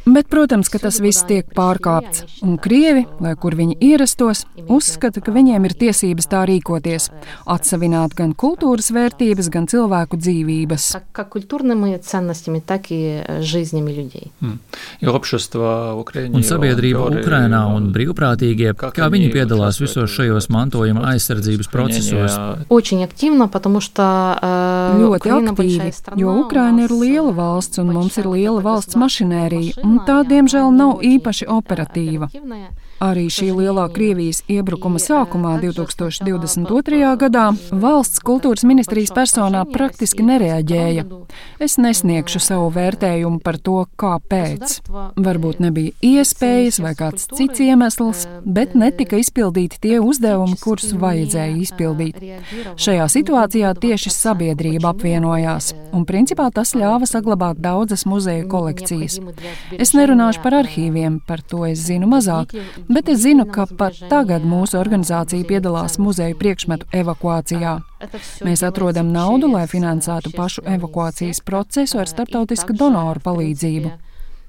Bet, protams, ka tas viss tiek pārkāpts, un Krievi, lai kur viņi ierastos, uzskata, ka viņiem ir tiesības tā rīkoties, atsavināt gan kultūras vērtības, gan cilvēku dzīvības.
Un sabiedrība Ukrainā un brīvprātīgie, kā viņi piedalās visos šajos mantojuma aizsardzības procesos?
Ļoti aktīvi, jo Ukraina ir liela valsts un mums ir liela valsts mašinērija, un tā, diemžēl, nav īpaši operatīva. Arī šī lielā Krievijas iebrukuma sākumā divtūkstoš divdesmit otrajā gadā valsts kultūras ministrijas personā praktiski nereaģēja. Es nesniegšu savu vērtējumu par to, kāpēc. Varbūt nebija iespējas vai kāds cits iemesls, bet netika izpildīti tie uzdevumi, kurus vajadzēja izpildīt. Šajā situācijā tieši sabiedrība apvienojās, un principā tas ļāva saglabāt daudzas muzeju kolekcijas. Es nerunāšu par arhīviem, par to es zinu mazāk, bet es zinu, ka pat tagad mūsu organizācija piedalās muzeju priekšmetu evakuācijā. Mēs atrodam naudu, lai finansētu pašu evakuācijas procesu ar starptautisku donoru palīdzību.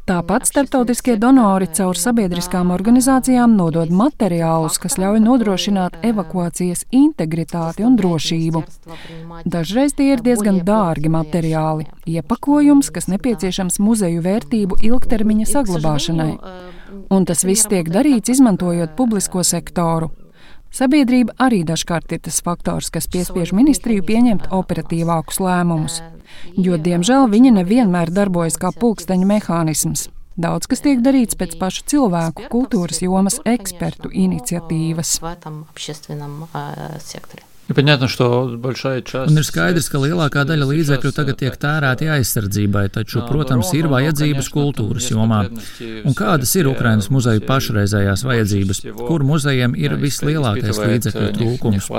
Tāpat starptautiskie donori caur sabiedriskām organizācijām nodod materiālus, kas ļauj nodrošināt evakuācijas integritāti un drošību. Dažreiz tie ir diezgan dārgi materiāli, iepakojums, kas nepieciešams muzeju vērtību ilgtermiņa saglabāšanai. Un tas viss tiek darīts, izmantojot publisko sektoru. Sabiedrība arī dažkārt ir tas faktors, kas piespiež ministriju pieņemt operatīvākus lēmumus, jo, diemžēl, viņi nevienmēr darbojas kā pulksteņu mehānisms. Daudz kas tiek darīts pēc pašu cilvēku kultūras jomas ekspertu iniciatīvas.
Un ir skaidrs, ka lielākā daļa līdzekļu tagad tiek tērēti aizsardzībai, taču, protams, ir vajadzības kultūras jomā. Un kādas ir Ukrainas muzeju pašreizējās vajadzības? Kur muzejiem ir vislielākais līdzekļu trūkums?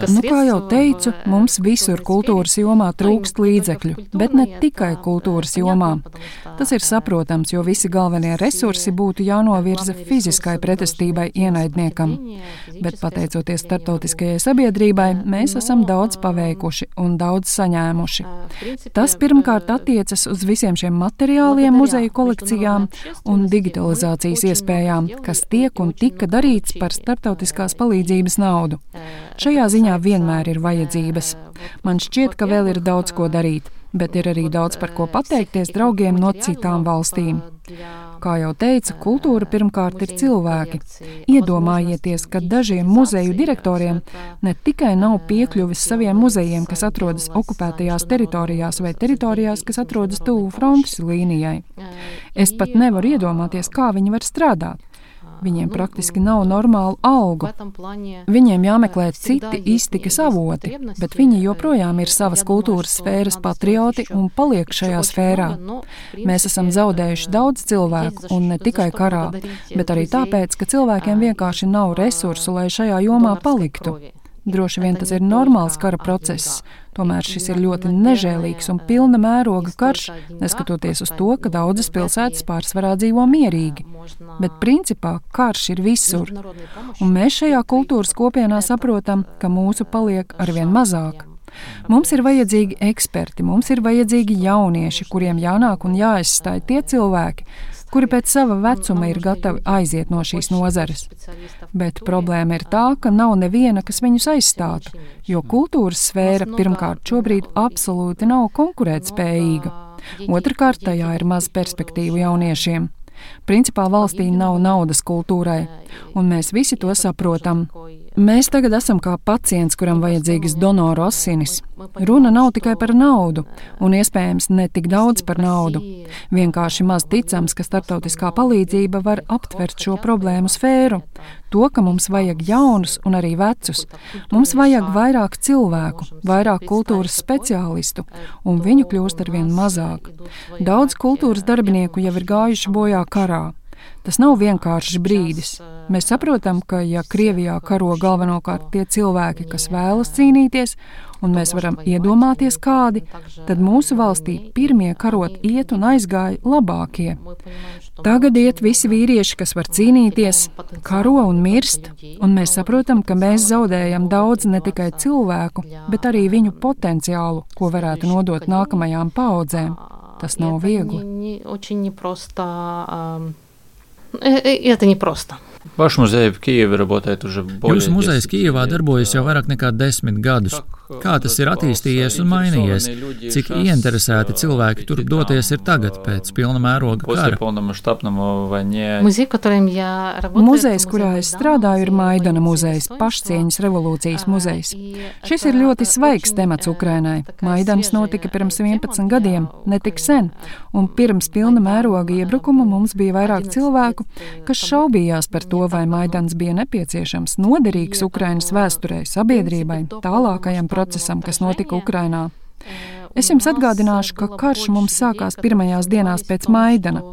Nu, kā jau teicu, mums visur kultūras jomā trūkst līdzekļu, bet ne tikai kultūras jomā. Tas ir saprotams, jo visi galvenie resursi būtu jānovirza fiziskai pretestībai ienaidniekam, bet pateicoties starptautiskajai sabiedrībai, mēs esam daudz paveikuši un daudz saņēmuši. Tas pirmkārt attiecas uz visiem šiem materiāliem, muzeju kolekcijām un digitalizācijas iespējām, kas tiek un tika darīts par starptautiskās palīdzības naudu. Šajā ziņā vienmēr ir vajadzības. Man šķiet, ka vēl ir daudz ko darīt, bet ir arī daudz par ko pateikties draugiem no citām valstīm. Kā jau teica, kultūra pirmkārt ir cilvēki. Iedomājieties, ka dažiem muzeju direktoriem ne tikai nav piekļuvis saviem muzejiem, kas atrodas okupētajās teritorijās vai teritorijās, kas atrodas tuvu frontes līnijai. Es pat nevaru iedomāties, kā viņi var strādāt. Viņiem praktiski nav normālu algu. Viņiem jāmeklē citi iztikas avoti, bet viņi joprojām ir savas kultūras sfēras patrioti un paliek šajā sfērā. Mēs esam zaudējuši daudz cilvēku, un ne tikai karā, bet arī tāpēc, ka cilvēkiem vienkārši nav resursu, lai šajā jomā paliktu. Droši vien tas ir normāls kara process, tomēr šis ir ļoti nežēlīgs un pilna mēroga karš, neskatoties uz to, ka daudzas pilsētas pārsvarā dzīvo mierīgi. Bet principā karš ir visur, un mēs šajā kultūras kopienā saprotam, ka mūsu paliek arvien mazāk. Mums ir vajadzīgi eksperti, mums ir vajadzīgi jaunieši, kuriem jānāk un jāaizstāj tie cilvēki, kuri pēc sava vecuma ir gatavi aiziet no šīs nozares. Bet problēma ir tā, ka nav neviena, kas viņus aizstātu, jo kultūras sfēra pirmkārt šobrīd absolūti nav konkurētspējīga. Otrakārt, tajā ir maz perspektīvu jauniešiem. Principā valstī nav naudas kultūrai, un mēs visi to saprotam. Mēs tagad esam kā pacients, kuram vajadzīgas donoru asinis. Runa nav tikai par naudu, un iespējams ne tik daudz par naudu. Vienkārši maz ticams, ka starptautiskā palīdzība var aptvert šo problēmu sfēru. To, ka mums vajag jaunus un arī vecus. Mums vajag vairāk cilvēku, vairāk kultūras speciālistu, un viņu kļūst arvien mazāk. Daudz kultūras darbinieku jau ir gājuši bojā karā. Tas nav vienkāršs brīdis. Mēs saprotam, ka ja Krievijā karo galvenokārt tie cilvēki, kas vēlas cīnīties, un mēs varam iedomāties kādi, tad mūsu valstī pirmie karot iet un aizgāja labākie. Tagad iet visi vīrieši, kas var cīnīties, karo un mirst, un mēs saprotam, ka mēs zaudējam daudz ne tikai cilvēku, bet arī viņu potenciālu, ko varētu nodot nākamajām paaudzēm. Tas nav viegli.
Это непросто.
Ваш музей в Киеве работает уже более
Jūsu muzejs Kijevā darbojas jau vairāk nekā desmit gadus. Kā tas ir attīstījies un mainījies? Cik ieinteresēti cilvēki tur doties ir tagad pēc pilna mēroga kara?
Muzejs, kurā es strādāju, ir Maidana muzejs, pašcieņas revolūcijas muzejs. Šis ir ļoti svaigs temats Ukrainai. Maidans notika pirms vienpadsmit gadiem, ne tik sen, un pirms pilna mēroga iebrukuma mums bija vairāk cilvēku, kas šaubījās par to, vai Maidans bija nepieciešams, noderīgs Ukrainas vēsturei, sabiedrībai, tālākajam procesam, kas notika Ukrainā. Es jums atgādināšu, ka karš mums sākās pirmajās dienās pēc Maidana.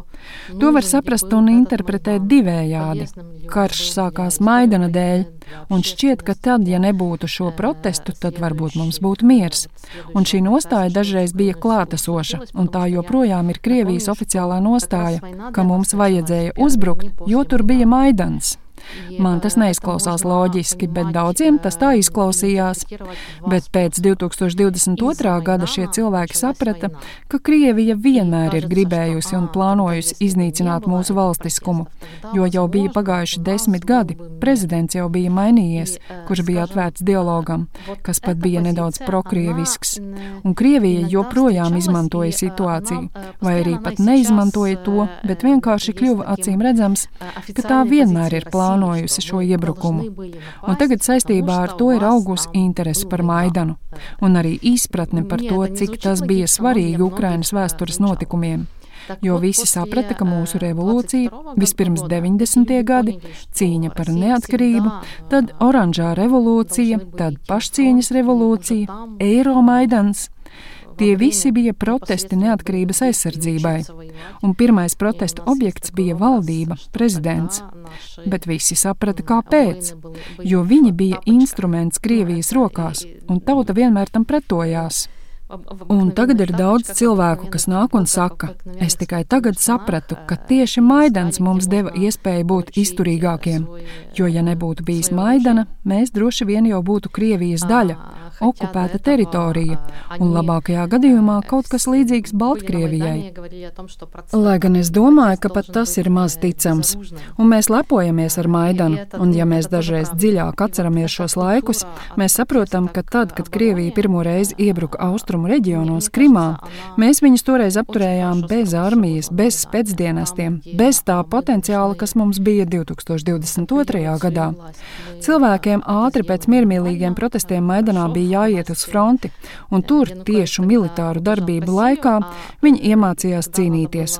To var saprast un interpretēt divējādi. Karš sākās Maidana dēļ, un šķiet, ka tad, ja nebūtu šo protestu, tad varbūt mums būtu miers. Un šī nostāja dažreiz bija klātesoša, un tā joprojām ir Krievijas oficiālā nostāja, ka mums vajadzēja uzbrukt, jo tur bija Maidans. Man tas neizklausās loģiski, bet daudziem tas tā izklausījās. Bet pēc divi tūkstoši divdesmit otrā gada šie cilvēki saprata, ka Krievija vienmēr ir gribējusi un plānojusi iznīcināt mūsu valstiskumu, jo jau bija pagājuši desmit gadi, prezidents jau bija mainījies, kurš bija atvērts dialogam, kas pat bija nedaudz prokrievisks. Un Krievija joprojām izmantoja situāciju, vai arī pat neizmantoja to, bet vienkārši kļuva acīm redzams, ka tā vienmēr ir plānojusi šo iebrukumu. Un tagad saistībā ar to ir augusi interese par Maidanu un arī izpratne par to, cik tas bija svarīgi Ukrainas vēstures notikumiem. Jo visi saprata, ka mūsu revolūcija, vispirms deviņdesmitie gadi, cīņa par neatkarību, tad oranžā revolūcija, tad pašcieņas revolūcija, Eiromaidans. Tie visi bija protesti neatkarības aizsardzībai, un pirmais protesta objekts bija valdība, prezidents. Bet visi saprata, kāpēc, jo viņi bija instruments Krievijas rokās, un tauta vienmēr tam pretojās. Un tagad ir daudz cilvēku, kas nāk un saka, es tikai tagad sapratu, ka tieši Maidans mums deva iespēju būt izturīgākiem, jo ja nebūtu bijis Maidana, mēs droši vien jau būtu Krievijas daļa, okupēta teritorija, un labākajā gadījumā kaut kas līdzīgs Baltkrievijai. Lai gan es domāju, ka pat tas ir maz ticams, un mēs lepojamies ar Maidanu, un ja mēs dažreiz dziļāk atceramies šos laikus, mēs saprotam, ka tad, kad Krievija pirmo reizi iebruka austrumu reģionos Krimā, mēs viņus toreiz apturējām bez armijas, bez specdienestiem, bez tā potenciāla, kas mums bija divi tūkstoši divdesmit otrajā gadā. Cilvēkiem ātri pēc miermīlīgiem protestiem Maidanā bija jāiet uz fronti, un tur tiešu militāru darbību laikā viņi iemācījās cīnīties.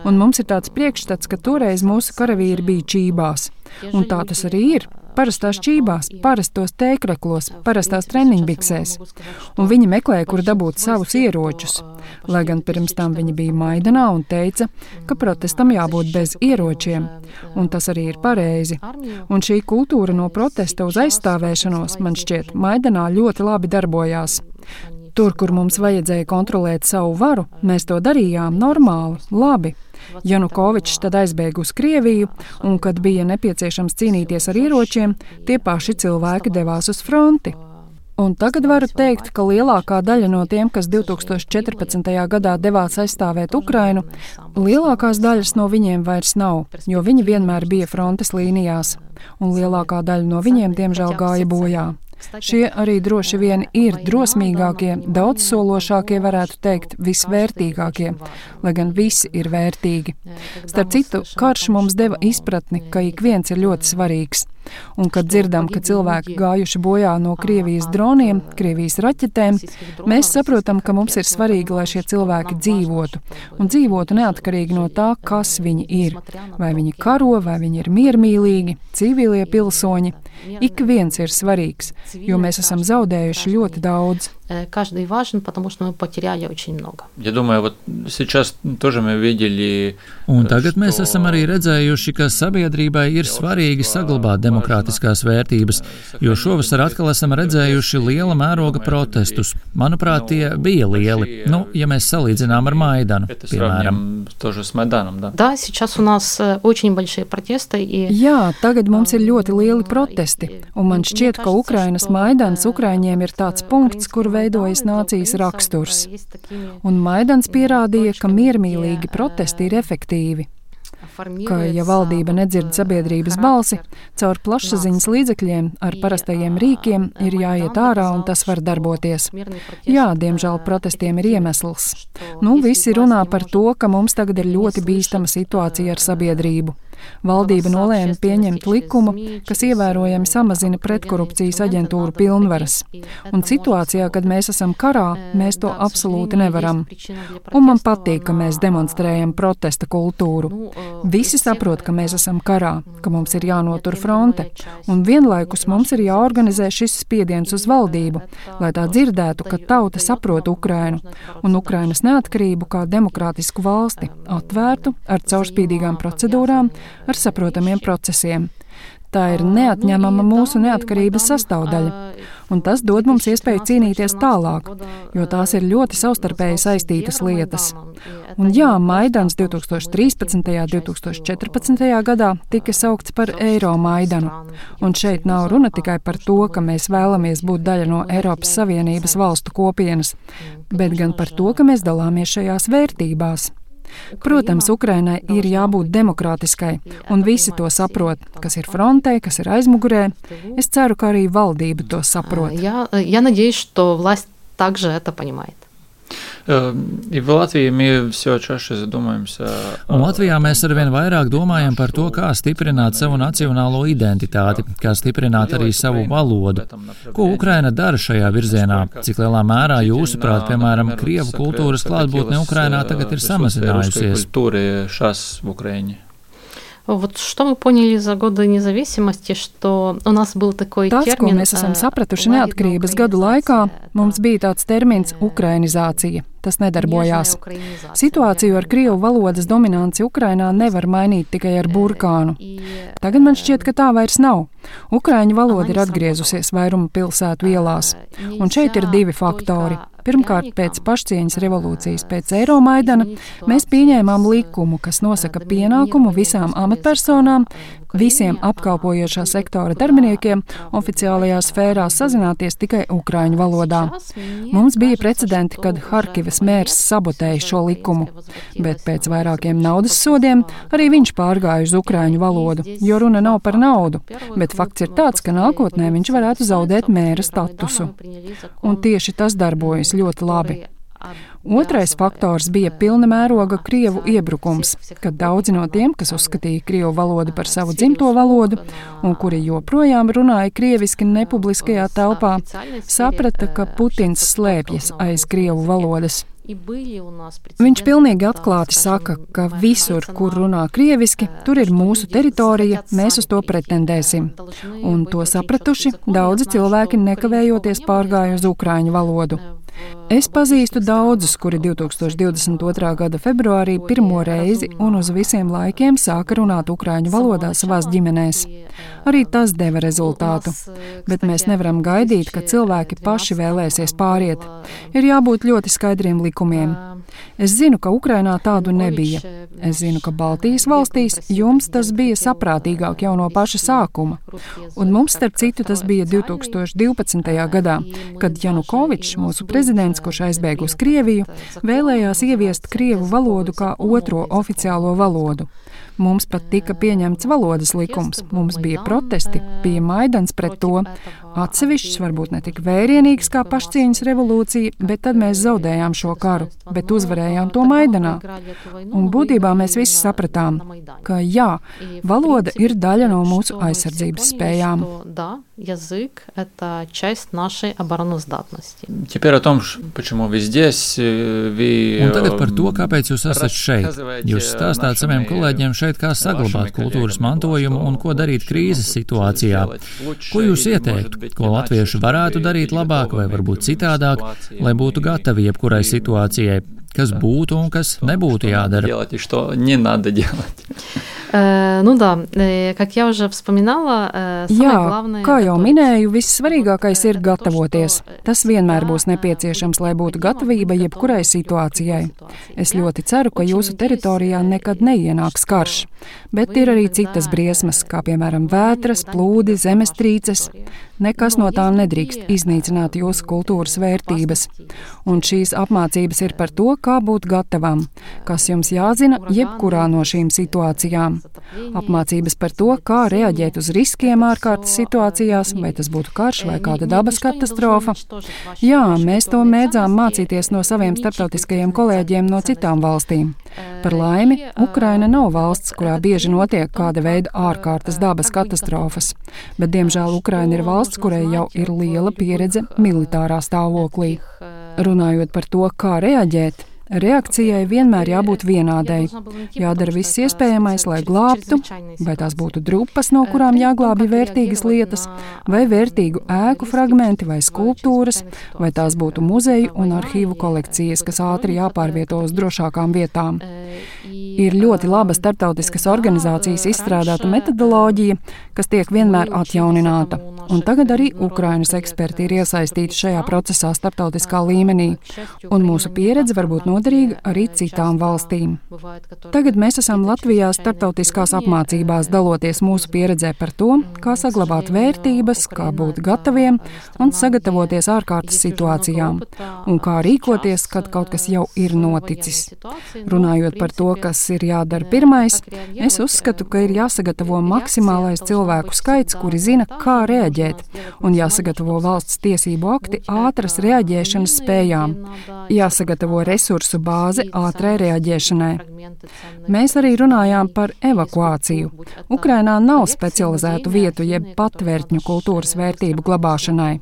Un mums ir tāds priekšstats, ka toreiz mūsu karavīri bija čībās. Un tā tas arī ir. Parastās čībās, parastos tēkreklos, parastās treniņbiksēs. Un viņi meklēja, kur dabūt savus ieročus. Lai gan pirms tam viņi bija Maidanā un teica, ka protestam jābūt bez ieročiem. Un tas arī ir pareizi. Un šī kultūra no protesta uz aizstāvēšanos, man šķiet, Maidanā ļoti labi darbojās. Tur, kur mums vajadzēja kontrolēt savu varu, mēs to darījām normāli, labi. Janukovičs tad aizbēga uz Krieviju, un, kad bija nepieciešams cīnīties ar ieročiem, tie paši cilvēki devās uz fronti. Un tagad varu teikt, ka lielākā daļa no tiem, kas divi tūkstoši četrpadsmitajā gadā devās aizstāvēt Ukrainu, lielākās daļas no viņiem vairs nav, jo viņi vienmēr bija frontes līnijās, un lielākā daļa no viņiem, diemžēl, gāja bojā. Šie arī droši vien ir drosmīgākie, daudzsološākie, varētu teikt, visvērtīgākie, lai gan visi ir vērtīgi. Starp citu, karš mums deva izpratni, ka ik viens ir ļoti svarīgs. Un, kad dzirdam, ka cilvēki gājuši bojā no Krievijas droniem, Krievijas raķetēm, mēs saprotam, ka mums ir svarīgi, lai šie cilvēki dzīvotu. Un dzīvotu neatkarīgi no tā, kas viņi ir. Vai viņi karo, vai viņi ir miermīlīgi, civilie pilsoņi. Ik viens ir svarīgs, jo mēs esam zaudējuši ļoti daudz.
Каждый важен, потому что мы потеряли очень много.
Я думаю, вот сейчас тоже мы видели.
Un tagad mēs esam arī redzējuši, ka sabiedrībai ir svarīgi saglabāt demokrātiskās vērtības, jo šovasar atkal esam redzējuši liela mēroga protestus. Manuprāt, tie bija lieli, nu, ja mēs salīdzinām ar Maidanu, piemēram.
Да, сейчас у нас очень большие протесты.
Jā, tagad mums ir ļoti lieli protesti, un man šķiet, ka Ukrainas Maidans Ukraiņiem ir tāds punkts, kur veidojas nācijas raksturs. Un Maidans pierādīja, ka miermīlīgi protesti ir efektīvi. Ka, ja valdība nedzird sabiedrības balsi, caur plašsaziņas līdzekļiem ar parastajiem rīkiem ir jāiet ārā un tas var darboties. Jā, diemžēl protestiem ir iemesls. Nu, visi runā par to, ka mums tagad ir ļoti bīstama situācija ar sabiedrību. Valdība nolēma pieņemt likumu, kas ievērojami samazina pretkorupcijas aģentūru pilnvaras. Un situācijā, kad mēs esam karā, mēs to absolūti nevaram. Un man patīk, ka mēs demonstrējam protesta kultūru. Visi saprot, ka mēs esam karā, ka mums ir jānotur fronte, un vienlaikus mums ir jāorganizē šis spiediens uz valdību, lai tā dzirdētu, ka tauta saprot Ukrainu un Ukrainas neatkarību kā demokrātisku valsti, atvērtu ar caurspīdīgām procedūrām, ar saprotamiem procesiem. Tā ir neatņemama mūsu neatkarības sastāvdaļa, un tas dod mums iespēju cīnīties tālāk, jo tās ir ļoti savstarpēji saistītas lietas. Un jā, Maidans divtūkstoš trīspadsmitajā un divtūkstoš četrpadsmitajā gadā tika saukts par Eiro Maidanu, un šeit nav runa tikai par to, ka mēs vēlamies būt daļa no Eiropas Savienības valstu kopienas, bet gan par to, ka mēs dalāmies šajās vērtībās. Protams, Ukrainai ir jābūt demokrātiskai, un visi to saprot, kas ir frontē, kas ir aizmugurē. Es ceru, ka arī valdība to saprot.
Я, я надеюсь, что власть также это понимает.
И в Латвии мы все чаще задумаемся.
Un Latvijā mēs arvien vairāk domājam par to, kā stiprināt savu nacionālo identitāti, kā stiprināt arī savu valodu. Ko Ukraina dara šajā virzienā? Cik lielā mērā jūsuprāt, piemēram, krievu kultūras klātbūtne Ukrainā tagad ir samazinājusies?
Вот что мы поняли за годы независимости, что у нас был такой
Tas,
термин.
ko mēs esam sapratuši neatkarības gadu laikā, mums bija tāds termins ukrainizācija. Tas nedarbojās. Situāciju ar krievu valodas dominanci Ukrainā nevar mainīt tikai ar burkānu. Tagad man šķiet, ka tā vairs nav. Ukraiņu valoda ir atgriezusies vairuma pilsētu ielās. Un šeit ir divi faktori. Pirmkārt, pēc pašcieņas revolūcijas, pēc Eiromaidana, mēs pieņēmām likumu, kas nosaka pienākumu visām amatpersonām, visiem apkalpojošā sektora darbiniekiem oficiālajā sfērā sazināties tikai ukraiņu valodā. Mums bija precedenti, kad Harkivas mērs sabotēja šo likumu, bet pēc vairākiem naudas sodiem arī viņš pārgāja uz ukraiņu valodu, jo runa nav par naudu, bet fakts ir tāds, ka nākotnē viņš varētu zaudēt mēra statusu. Un tieši tas darbojas ļoti labi. Otrais faktors bija pilna mēroga krievu iebrukums, kad daudzi no tiem, kas uzskatīja krievu valodu par savu dzimto valodu un kuri joprojām runāja krieviski nepubliskajā telpā, saprata, ka Putins slēpjas aiz krievu valodas. Viņš pilnīgi atklāti saka, ka visur, kur runā krieviski, tur ir mūsu teritorija, mēs uz to pretendēsim. Un to sapratuši, daudzi cilvēki nekavējoties pārgāja uz ukraiņu valodu. Es pazīstu daudzus, kuri divtūkstoš divdesmit otrā gada februārī pirmo reizi un uz visiem laikiem sāka runāt ukraiņu valodā savās ģimenēs. Arī tas deva rezultātu, bet mēs nevaram gaidīt, ka cilvēki paši vēlēsies pāriet. Ir jābūt ļoti skaidriem likumiem. Es zinu, ka Ukrainā tādu nebija. Es zinu, ka Baltijas valstīs jums tas bija saprātīgāk jau no paša sākuma. Un mums, starp citu, tas bija divtūkstoš divpadsmitajā gadā, kad Janukovičs, mūsu prezidents, prezidents, kurš aizbēga uz Krieviju, vēlējās ieviest krievu valodu kā otro oficiālo valodu. Mums pat tika pieņemts valodas likums, mums bija protesti, bija Maidans pret to. Atsevišķs, varbūt ne tik vērienīgs kā pašcieņas revolūcija, bet tad mēs zaudējām šo karu, bet uzvarējām to Maidanā. Un būtībā mēs visi sapratām, ka jā, valoda ir daļa no mūsu aizsardzības spējām.
Язык – это часть нашей обороноздатности.
Теперь о том, почему вы здесь, вы...
Un tagad par to, kāpēc jūs esat šeit. Jūs stāstāt saviem kolēģiem šeit, kā saglabāt kultūras mantojumu un ko darīt krīzes situācijā. Ko jūs ieteiktu? Ko latvieši varētu darīt labāk vai varbūt citādāk, lai būtu gatavi jebkurai situācijai? Kas būtu un kas nebūtu jādara?
Nu да, как я уже вспоминала, самое главное...
Jā, kā jau minēju, vissvarīgākais ir gatavoties. Tas vienmēr būs nepieciešams, lai būtu gatavība jebkurai situācijai. Es ļoti ceru, ka jūsu teritorijā nekad neienāks karš, bet ir arī citas briesmas, kā piemēram vētras, plūdi, zemestrīces. Nekas no tām nedrīkst iznīcināt jūsu kultūras vērtības. Un šīs apmācības ir par to, kā būt gatavam, kas jums jāzina jebkurā no šīm situācijām. Apmācības par to, kā reaģēt uz riskiem ārkārtas situācijās, vai tas būtu karš vai kāda dabas katastrofa. Jā, mēs to mēdzām mācīties no saviem starptautiskajiem kolēģiem no citām valstīm. Par laimi, Ukraina nav valsts, kurā bieži notiek kāda veida ārkārtas dabas katastrofas, bet diemžēl Ukraina ir valsts, kurai jau ir liela pieredze militārā stāvoklī. Runājot par to, kā reaģēt, reakcijai vienmēr jābūt vienādai. Jādara viss iespējamais, lai glābtu, vai tās būtu drupas, no kurām jāglābj vērtīgas lietas, vai vērtīgu ēku fragmenti vai skulptūras, vai tās būtu muzeju un arhīvu kolekcijas, kas ātri jāpārvieto uz drošākām vietām. Ir ļoti laba starptautiskas organizācijas izstrādāta metodoloģija, kas tiek vienmēr atjaunināta. Un tagad arī Ukrainas eksperti ir iesaistīti šajā procesā starptautiskā līmenī, un mūsu pieredze var būt noderīga arī citām valstīm. Tagad mēs esam Latvijā starptautiskās apmācībās, daloties mūsu pieredzē par to, kā saglabāt vērtības, kā būt gataviem un sagatavoties ārkārtas situācijām, un kā rīkoties, kad kaut kas jau ir noticis. Runājot par to, kas ir jādara pirmais, es uzskatu, ka ir jāsagatavo maksimālais cilvēku skaits, kuri zina, kā reaģēt, un jāsagatavo valsts tiesību akti ātras reaģēšanas spējām, jāsagatavo resursu bāze ātrai reaģēšanai. Mēs arī runājām par evakuāciju. Ukrainā nav specializētu vietu jeb patvērtņu kultūras vērtību glabāšanai.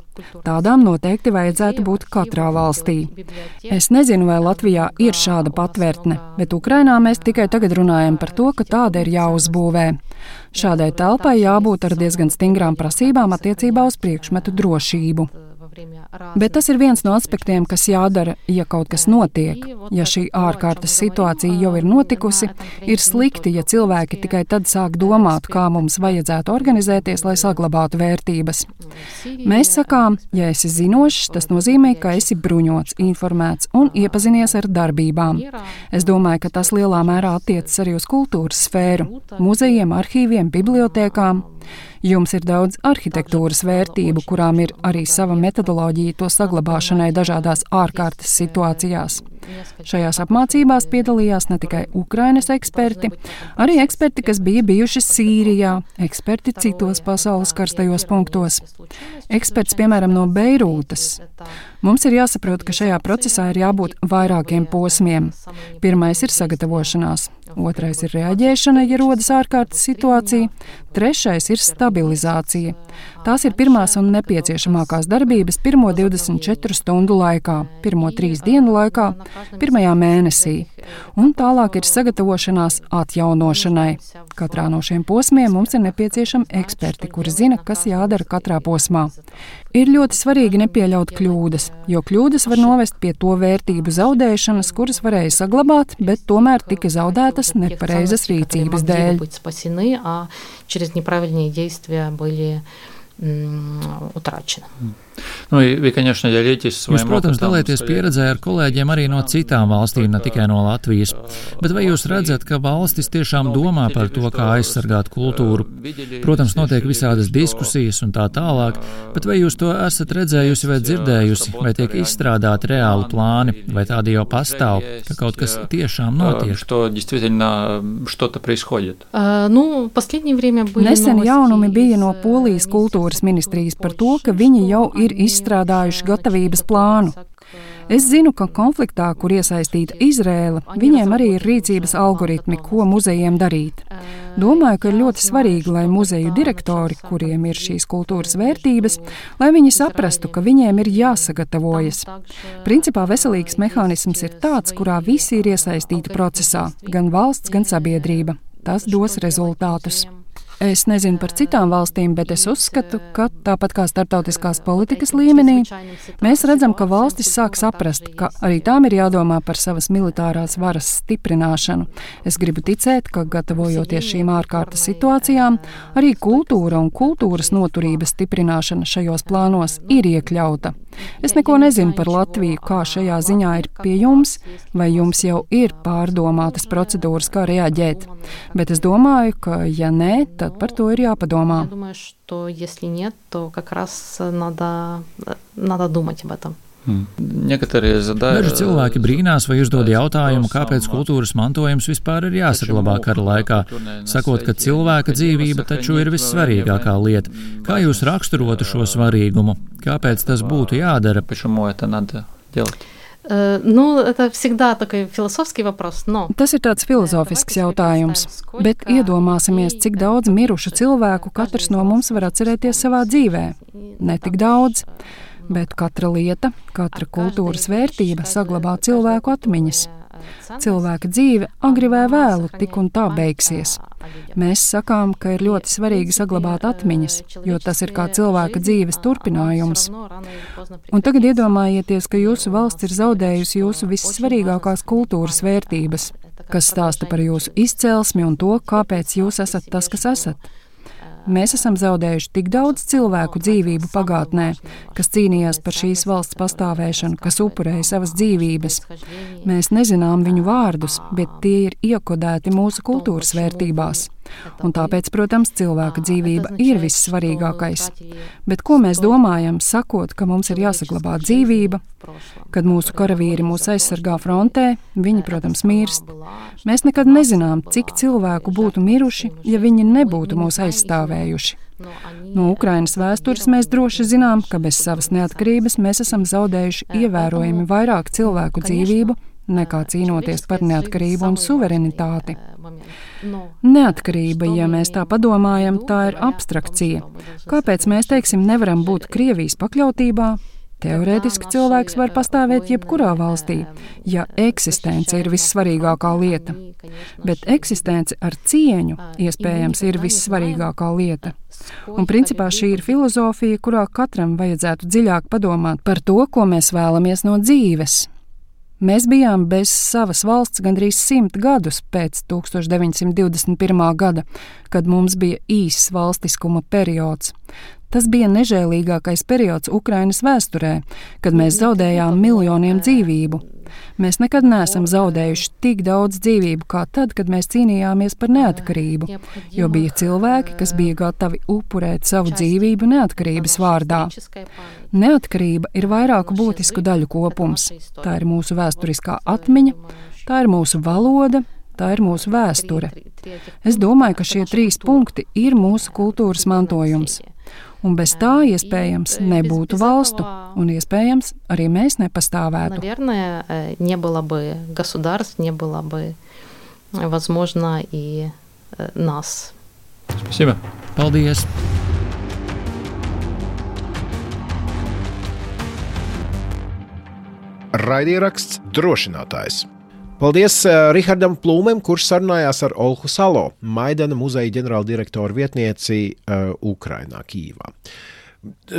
Tādām noteikti vajadzētu būt katrā valstī. Es nezinu, vai Latvijā ir šāda patvērtne, bet Ukrainā mēs tikai tagad runājam par to, ka tāda ir jāuzbūvē. Šādai telpai jābūt ar diezgan stingrām prasībām attiecībā uz priekšmetu drošību. Bet tas ir viens no aspektiem, kas jādara, ja kaut kas notiek. Ja šī ārkārtas situācija jau ir notikusi, ir slikti, ja cilvēki tikai tad sāk domāt, kā mums vajadzētu organizēties, lai saglabātu vērtības. Mēs sakām, ja esi zinošs, tas nozīmē, ka esi bruņots, informēts un iepazinies ar darbībām. Es domāju, ka tas lielā mērā attiecas arī uz kultūras sfēru, muzejiem, arhīviem, bibliotēkām. Jums ir daudz arhitektūras vērtību, kurām ir arī sava metodoloģija to saglabāšanai dažādās ārkārtas situācijās. Šajās apmācībās piedalījās ne tikai Ukrainas eksperti, arī eksperti, kas bija bijuši Sīrijā, eksperti citos pasaules karstajos punktos. Eksperts, piemēram, no Beirūtas. Mums ir jāsaprot, ka šajā procesā ir jābūt vairākiem posmiem. Pirmais ir sagatavošanās, otrais ir reaģēšana, ja rodas ārkārtas situācija, trešais ir stabilizācija. Tās ir pirmās un nepieciešamākās darbības pirmo divdesmit četru stundu laikā, pirmo trīs dienu laikā, pirmajā mēnesī, un tālāk ir sagatavošanās atjaunošanai. Katrā no šiem posmiem mums ir nepieciešami eksperti, kuri zina, kas jādara katrā posmā. Ir ļoti svarīgi nepieļaut kļūdas, jo kļūdas var novest pie to vērtību zaudēšanas, kuras varēja saglabāt, bet tomēr tika zaudētas nepareizas rīcības dēļ.
Через неправильные действия были утрачены.
Nu, вы, конечно, делитесь своим
Jūs, protams, dalieties pieredzē ar kolēģiem arī no citām valstīm, ne tikai no Latvijas. Bet vai jūs redzat, ka valstis tiešām domā par to, kā aizsargāt kultūru? Protams, notiek visādas diskusijas un tā tālāk, bet vai jūs to esat redzējusi vai dzirdējusi, vai tiek izstrādāti reāli plāni, vai tādi jau pastāv, ka kaut kas tiešām notiek?
Что действительно что-то происходит?
Ну, последнее время были
Nesen jaunumi bija no Polijas kultūras ministrijas par to, ka viņi jau ir izstrādājuši gatavības plānu. Es zinu, ka konfliktā, kur iesaistīta Izrēla, viņiem arī ir rīcības algoritmi, ko muzejiem darīt. Domāju, ka ir ļoti svarīgi, lai muzeju direktori, kuriem ir šīs kultūras vērtības, lai viņi saprastu, ka viņiem ir jāsagatavojas. Principā veselīgs mehānisms ir tāds, kurā visi ir iesaistīti procesā, gan valsts, gan sabiedrība. Tas dos rezultātus. Es nezinu par citām valstīm, bet es uzskatu, ka tāpat kā starptautiskās politikas līmenī, mēs redzam, ka valstis sāk saprast, ka arī tām ir jādomā par savas militārās varas stiprināšanu. Es gribu ticēt, ka gatavojoties šīm ārkārtas situācijām, arī kultūra un kultūras noturības stiprināšana šajos plānos ir iekļauta. Es neko nezinu par Latviju, kā šajā ziņā ir pie jums, vai jums jau ir pārdomātas procedūras, kā reaģēt. Bet es domāju, ka ja nē, tad par to ir jāpadomā.
Daži cilvēki brīnās vai uzdod jautājumu, kāpēc kultūras mantojums vispār ir jāsaglabā kara laikā, sakot, ka cilvēka dzīvība taču ir vissvarīgākā lieta. Kā jūs raksturotu šo svarīgumu? Kāpēc tas būtu jādara?
Nu, это всегда такой философский вопрос, но...
Tas ir tāds filozofisks jautājums, bet iedomāsimies, cik daudz mirušu cilvēku katrs no mums var atcerēties savā dzīvē. Ne tik daudz, bet katra lieta, katra kultūras vērtība saglabā cilvēku atmiņas. Cilvēka dzīve agri vai vēlu tik un tā beigsies. Mēs sakām, ka ir ļoti svarīgi saglabāt atmiņas, jo tas ir kā cilvēka dzīves turpinājums. Un tagad iedomājieties, ka jūsu valsts ir zaudējusi jūsu vissvarīgākās kultūras vērtības, kas stāsta par jūsu izcelsmi un to, kāpēc jūs esat tas, kas esat. Mēs esam zaudējuši tik daudz cilvēku dzīvību pagātnē, kas cīnījās par šīs valsts pastāvēšanu, kas upurēja savas dzīvības. Mēs nezinām viņu vārdus, bet tie ir iekodēti mūsu kultūras vērtībās. Un tāpēc, protams, cilvēka dzīvība ir vissvarīgākais. Bet ko mēs domājam, sakot, ka mums ir jāsaglabā dzīvība? Kad mūsu karavīri mūs aizsargā frontē, viņi, protams, mirst. Mēs nekad nezinām, cik cilvēku būtu miruši, ja viņi nebūtu mūs aizstāvējuši. No Ukrainas vēstures mēs droši zinām, ka bez savas neatkarības mēs esam zaudējuši ievērojami vairāk cilvēku dzīvību, nekā cīnoties par neatkarību un suverenitāti. Neatkarība, ja mēs tā padomājam, tā ir abstrakcija. Kāpēc mēs, teiksim, nevaram būt Krievijas pakļautībā? Teorētiski cilvēks var pastāvēt jebkurā valstī, ja eksistence ir vissvarīgākā lieta. Bet eksistence ar cieņu iespējams ir vissvarīgākā lieta. Un principā šī ir filozofija, kurā katram vajadzētu dziļāk padomāt par to, ko mēs vēlamies no dzīves. Mēs bijām bez savas valsts gandrīz simt gadus pēc tūkstoš deviņsimt divdesmit pirmā gada, kad mums bija īss valstiskuma periods. Tas bija nežēlīgākais periods Ukrainas vēsturē, kad mēs zaudējām miljoniem dzīvību. Mēs nekad neesam zaudējuši tik daudz dzīvību kā tad, kad mēs cīnījāmies par neatkarību, jo bija cilvēki, kas bija gatavi upurēt savu dzīvību neatkarības vārdā. Neatkarība ir vairāku būtisku daļu kopums. Tā ir mūsu vēsturiskā atmiņa, tā ir mūsu valoda, tā ir mūsu vēsture. Es domāju, ka šie trīs punkti ir mūsu kultūras mantojums. Un bez tā iespējams nebūtu valstu, un iespējams arī mēs nepastāvētu.
Наверное, не было бы государств, не было бы, возможно, и нас.
Спасибо.
Paldies.
Raidieraksts Drošinātājs. Paldies Rihardam Plūmem, kurš sarunājās ar Olhu Salo, Maidana muzeja ģenerāldirektora vietnieci uh, Ukrainā, Kīvā.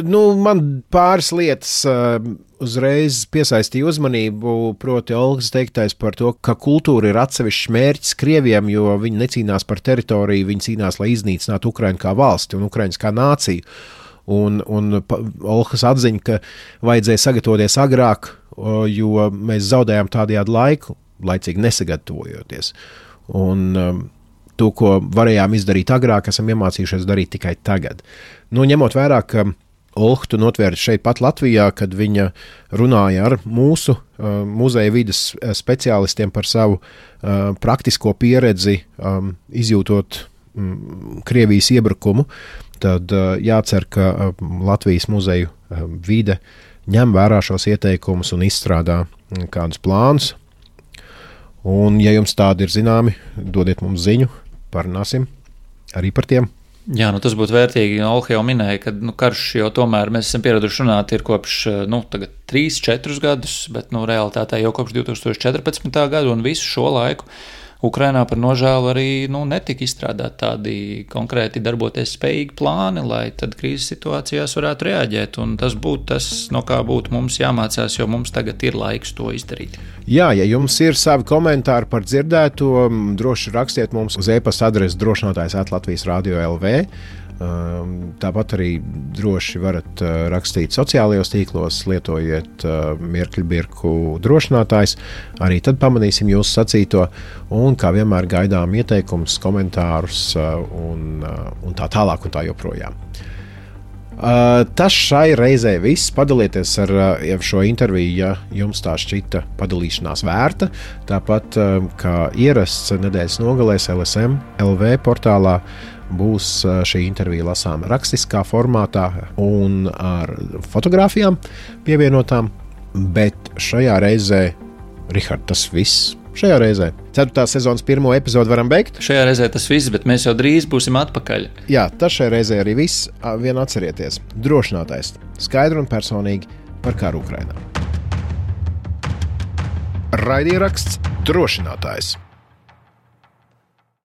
Nu, man pāris lietas uh, uzreiz piesaistīja uzmanību, proti Olhas teiktais par to, ka kultūra ir atsevišķs mērķis Krieviem, jo viņi necīnās par teritoriju, viņi cīnās, lai iznīcinātu Ukrainu kā valsti un Ukrainas kā nāciju. Un, un Olhas atziņa, ka vajadzēja sagatavoties agrāk, jo mēs zaudējām tādējādi laiku, laicīgi nesagatavojoties. Un um, to, ko varējām izdarīt agrāk, esam iemācījušies darīt tikai tagad. Nu, ņemot vērā, ka Olha tu notvēri šeit pat Latvijā, kad viņa runāja ar mūsu uh, muzeja vides speciālistiem par savu uh, praktisko pieredzi, um, izjūtot um, Krievijas iebrukumu, tad uh, jācer, ka uh, Latvijas muzeju uh, vide ņem vērā šos ieteikumus un izstrādā um, kādus plānus. Un, ja jums tādi ir zināmi, dodiet mums ziņu, parunāsim arī par tiem.
Jā, nu tas būtu vērtīgi. Olha jau minēja, ka nu, karš jau tomēr mēs esam pieraduši runāt ir kopš nu, tagad trīs, četrus gadus, bet nu, realitātē jau kopš divi tūkstoši četrpadsmitā gada un visu šo laiku Ukrainā par nožēlu arī nu, netika izstrādāt tādi konkrēti darboties spējīgi plāni, lai tad krīzes situācijās varētu reaģēt. Un tas būtu tas, no kā būtu mums jāmācās, jo mums tagad ir laiks to izdarīt.
Jā, ja jums ir savi komentāri par dzirdēto, droši rakstiet mums uz e-pasta adresi drošinātājs at Latvijas radio punkt el vē. Tāpat arī droši varat rakstīt sociālajos tīklos, lietojiet mirkļbirku drošinātājs. Arī tad pamanīsim jūsu sacīto un, kā vienmēr, gaidām ieteikumus, komentārus un, un tā tālāk un tā joprojām. Tas šai reizē viss. Padalieties ar šo interviju, ja jums tā šķita padalīšanās vērta. Tāpat, kā ierasts nedēļas nogalēs L S M punkt L V portālā, būs šī intervija lasām rakstiskā formātā un ar fotogrāfijām pievienotām, bet šajā reizē, Rihard, tas viss. Šajā reizē ceturtās sezonas pirmo epizodu varam beigt.
Šajā reizē tas viss, bet mēs jau drīz būsim atpakaļ.
Jā, tas šajā reizē arī viss. Vien atcerieties, drošinātājs skaidri un personīgi par karu Ukrainā. Raidieraksts Drošinātājs.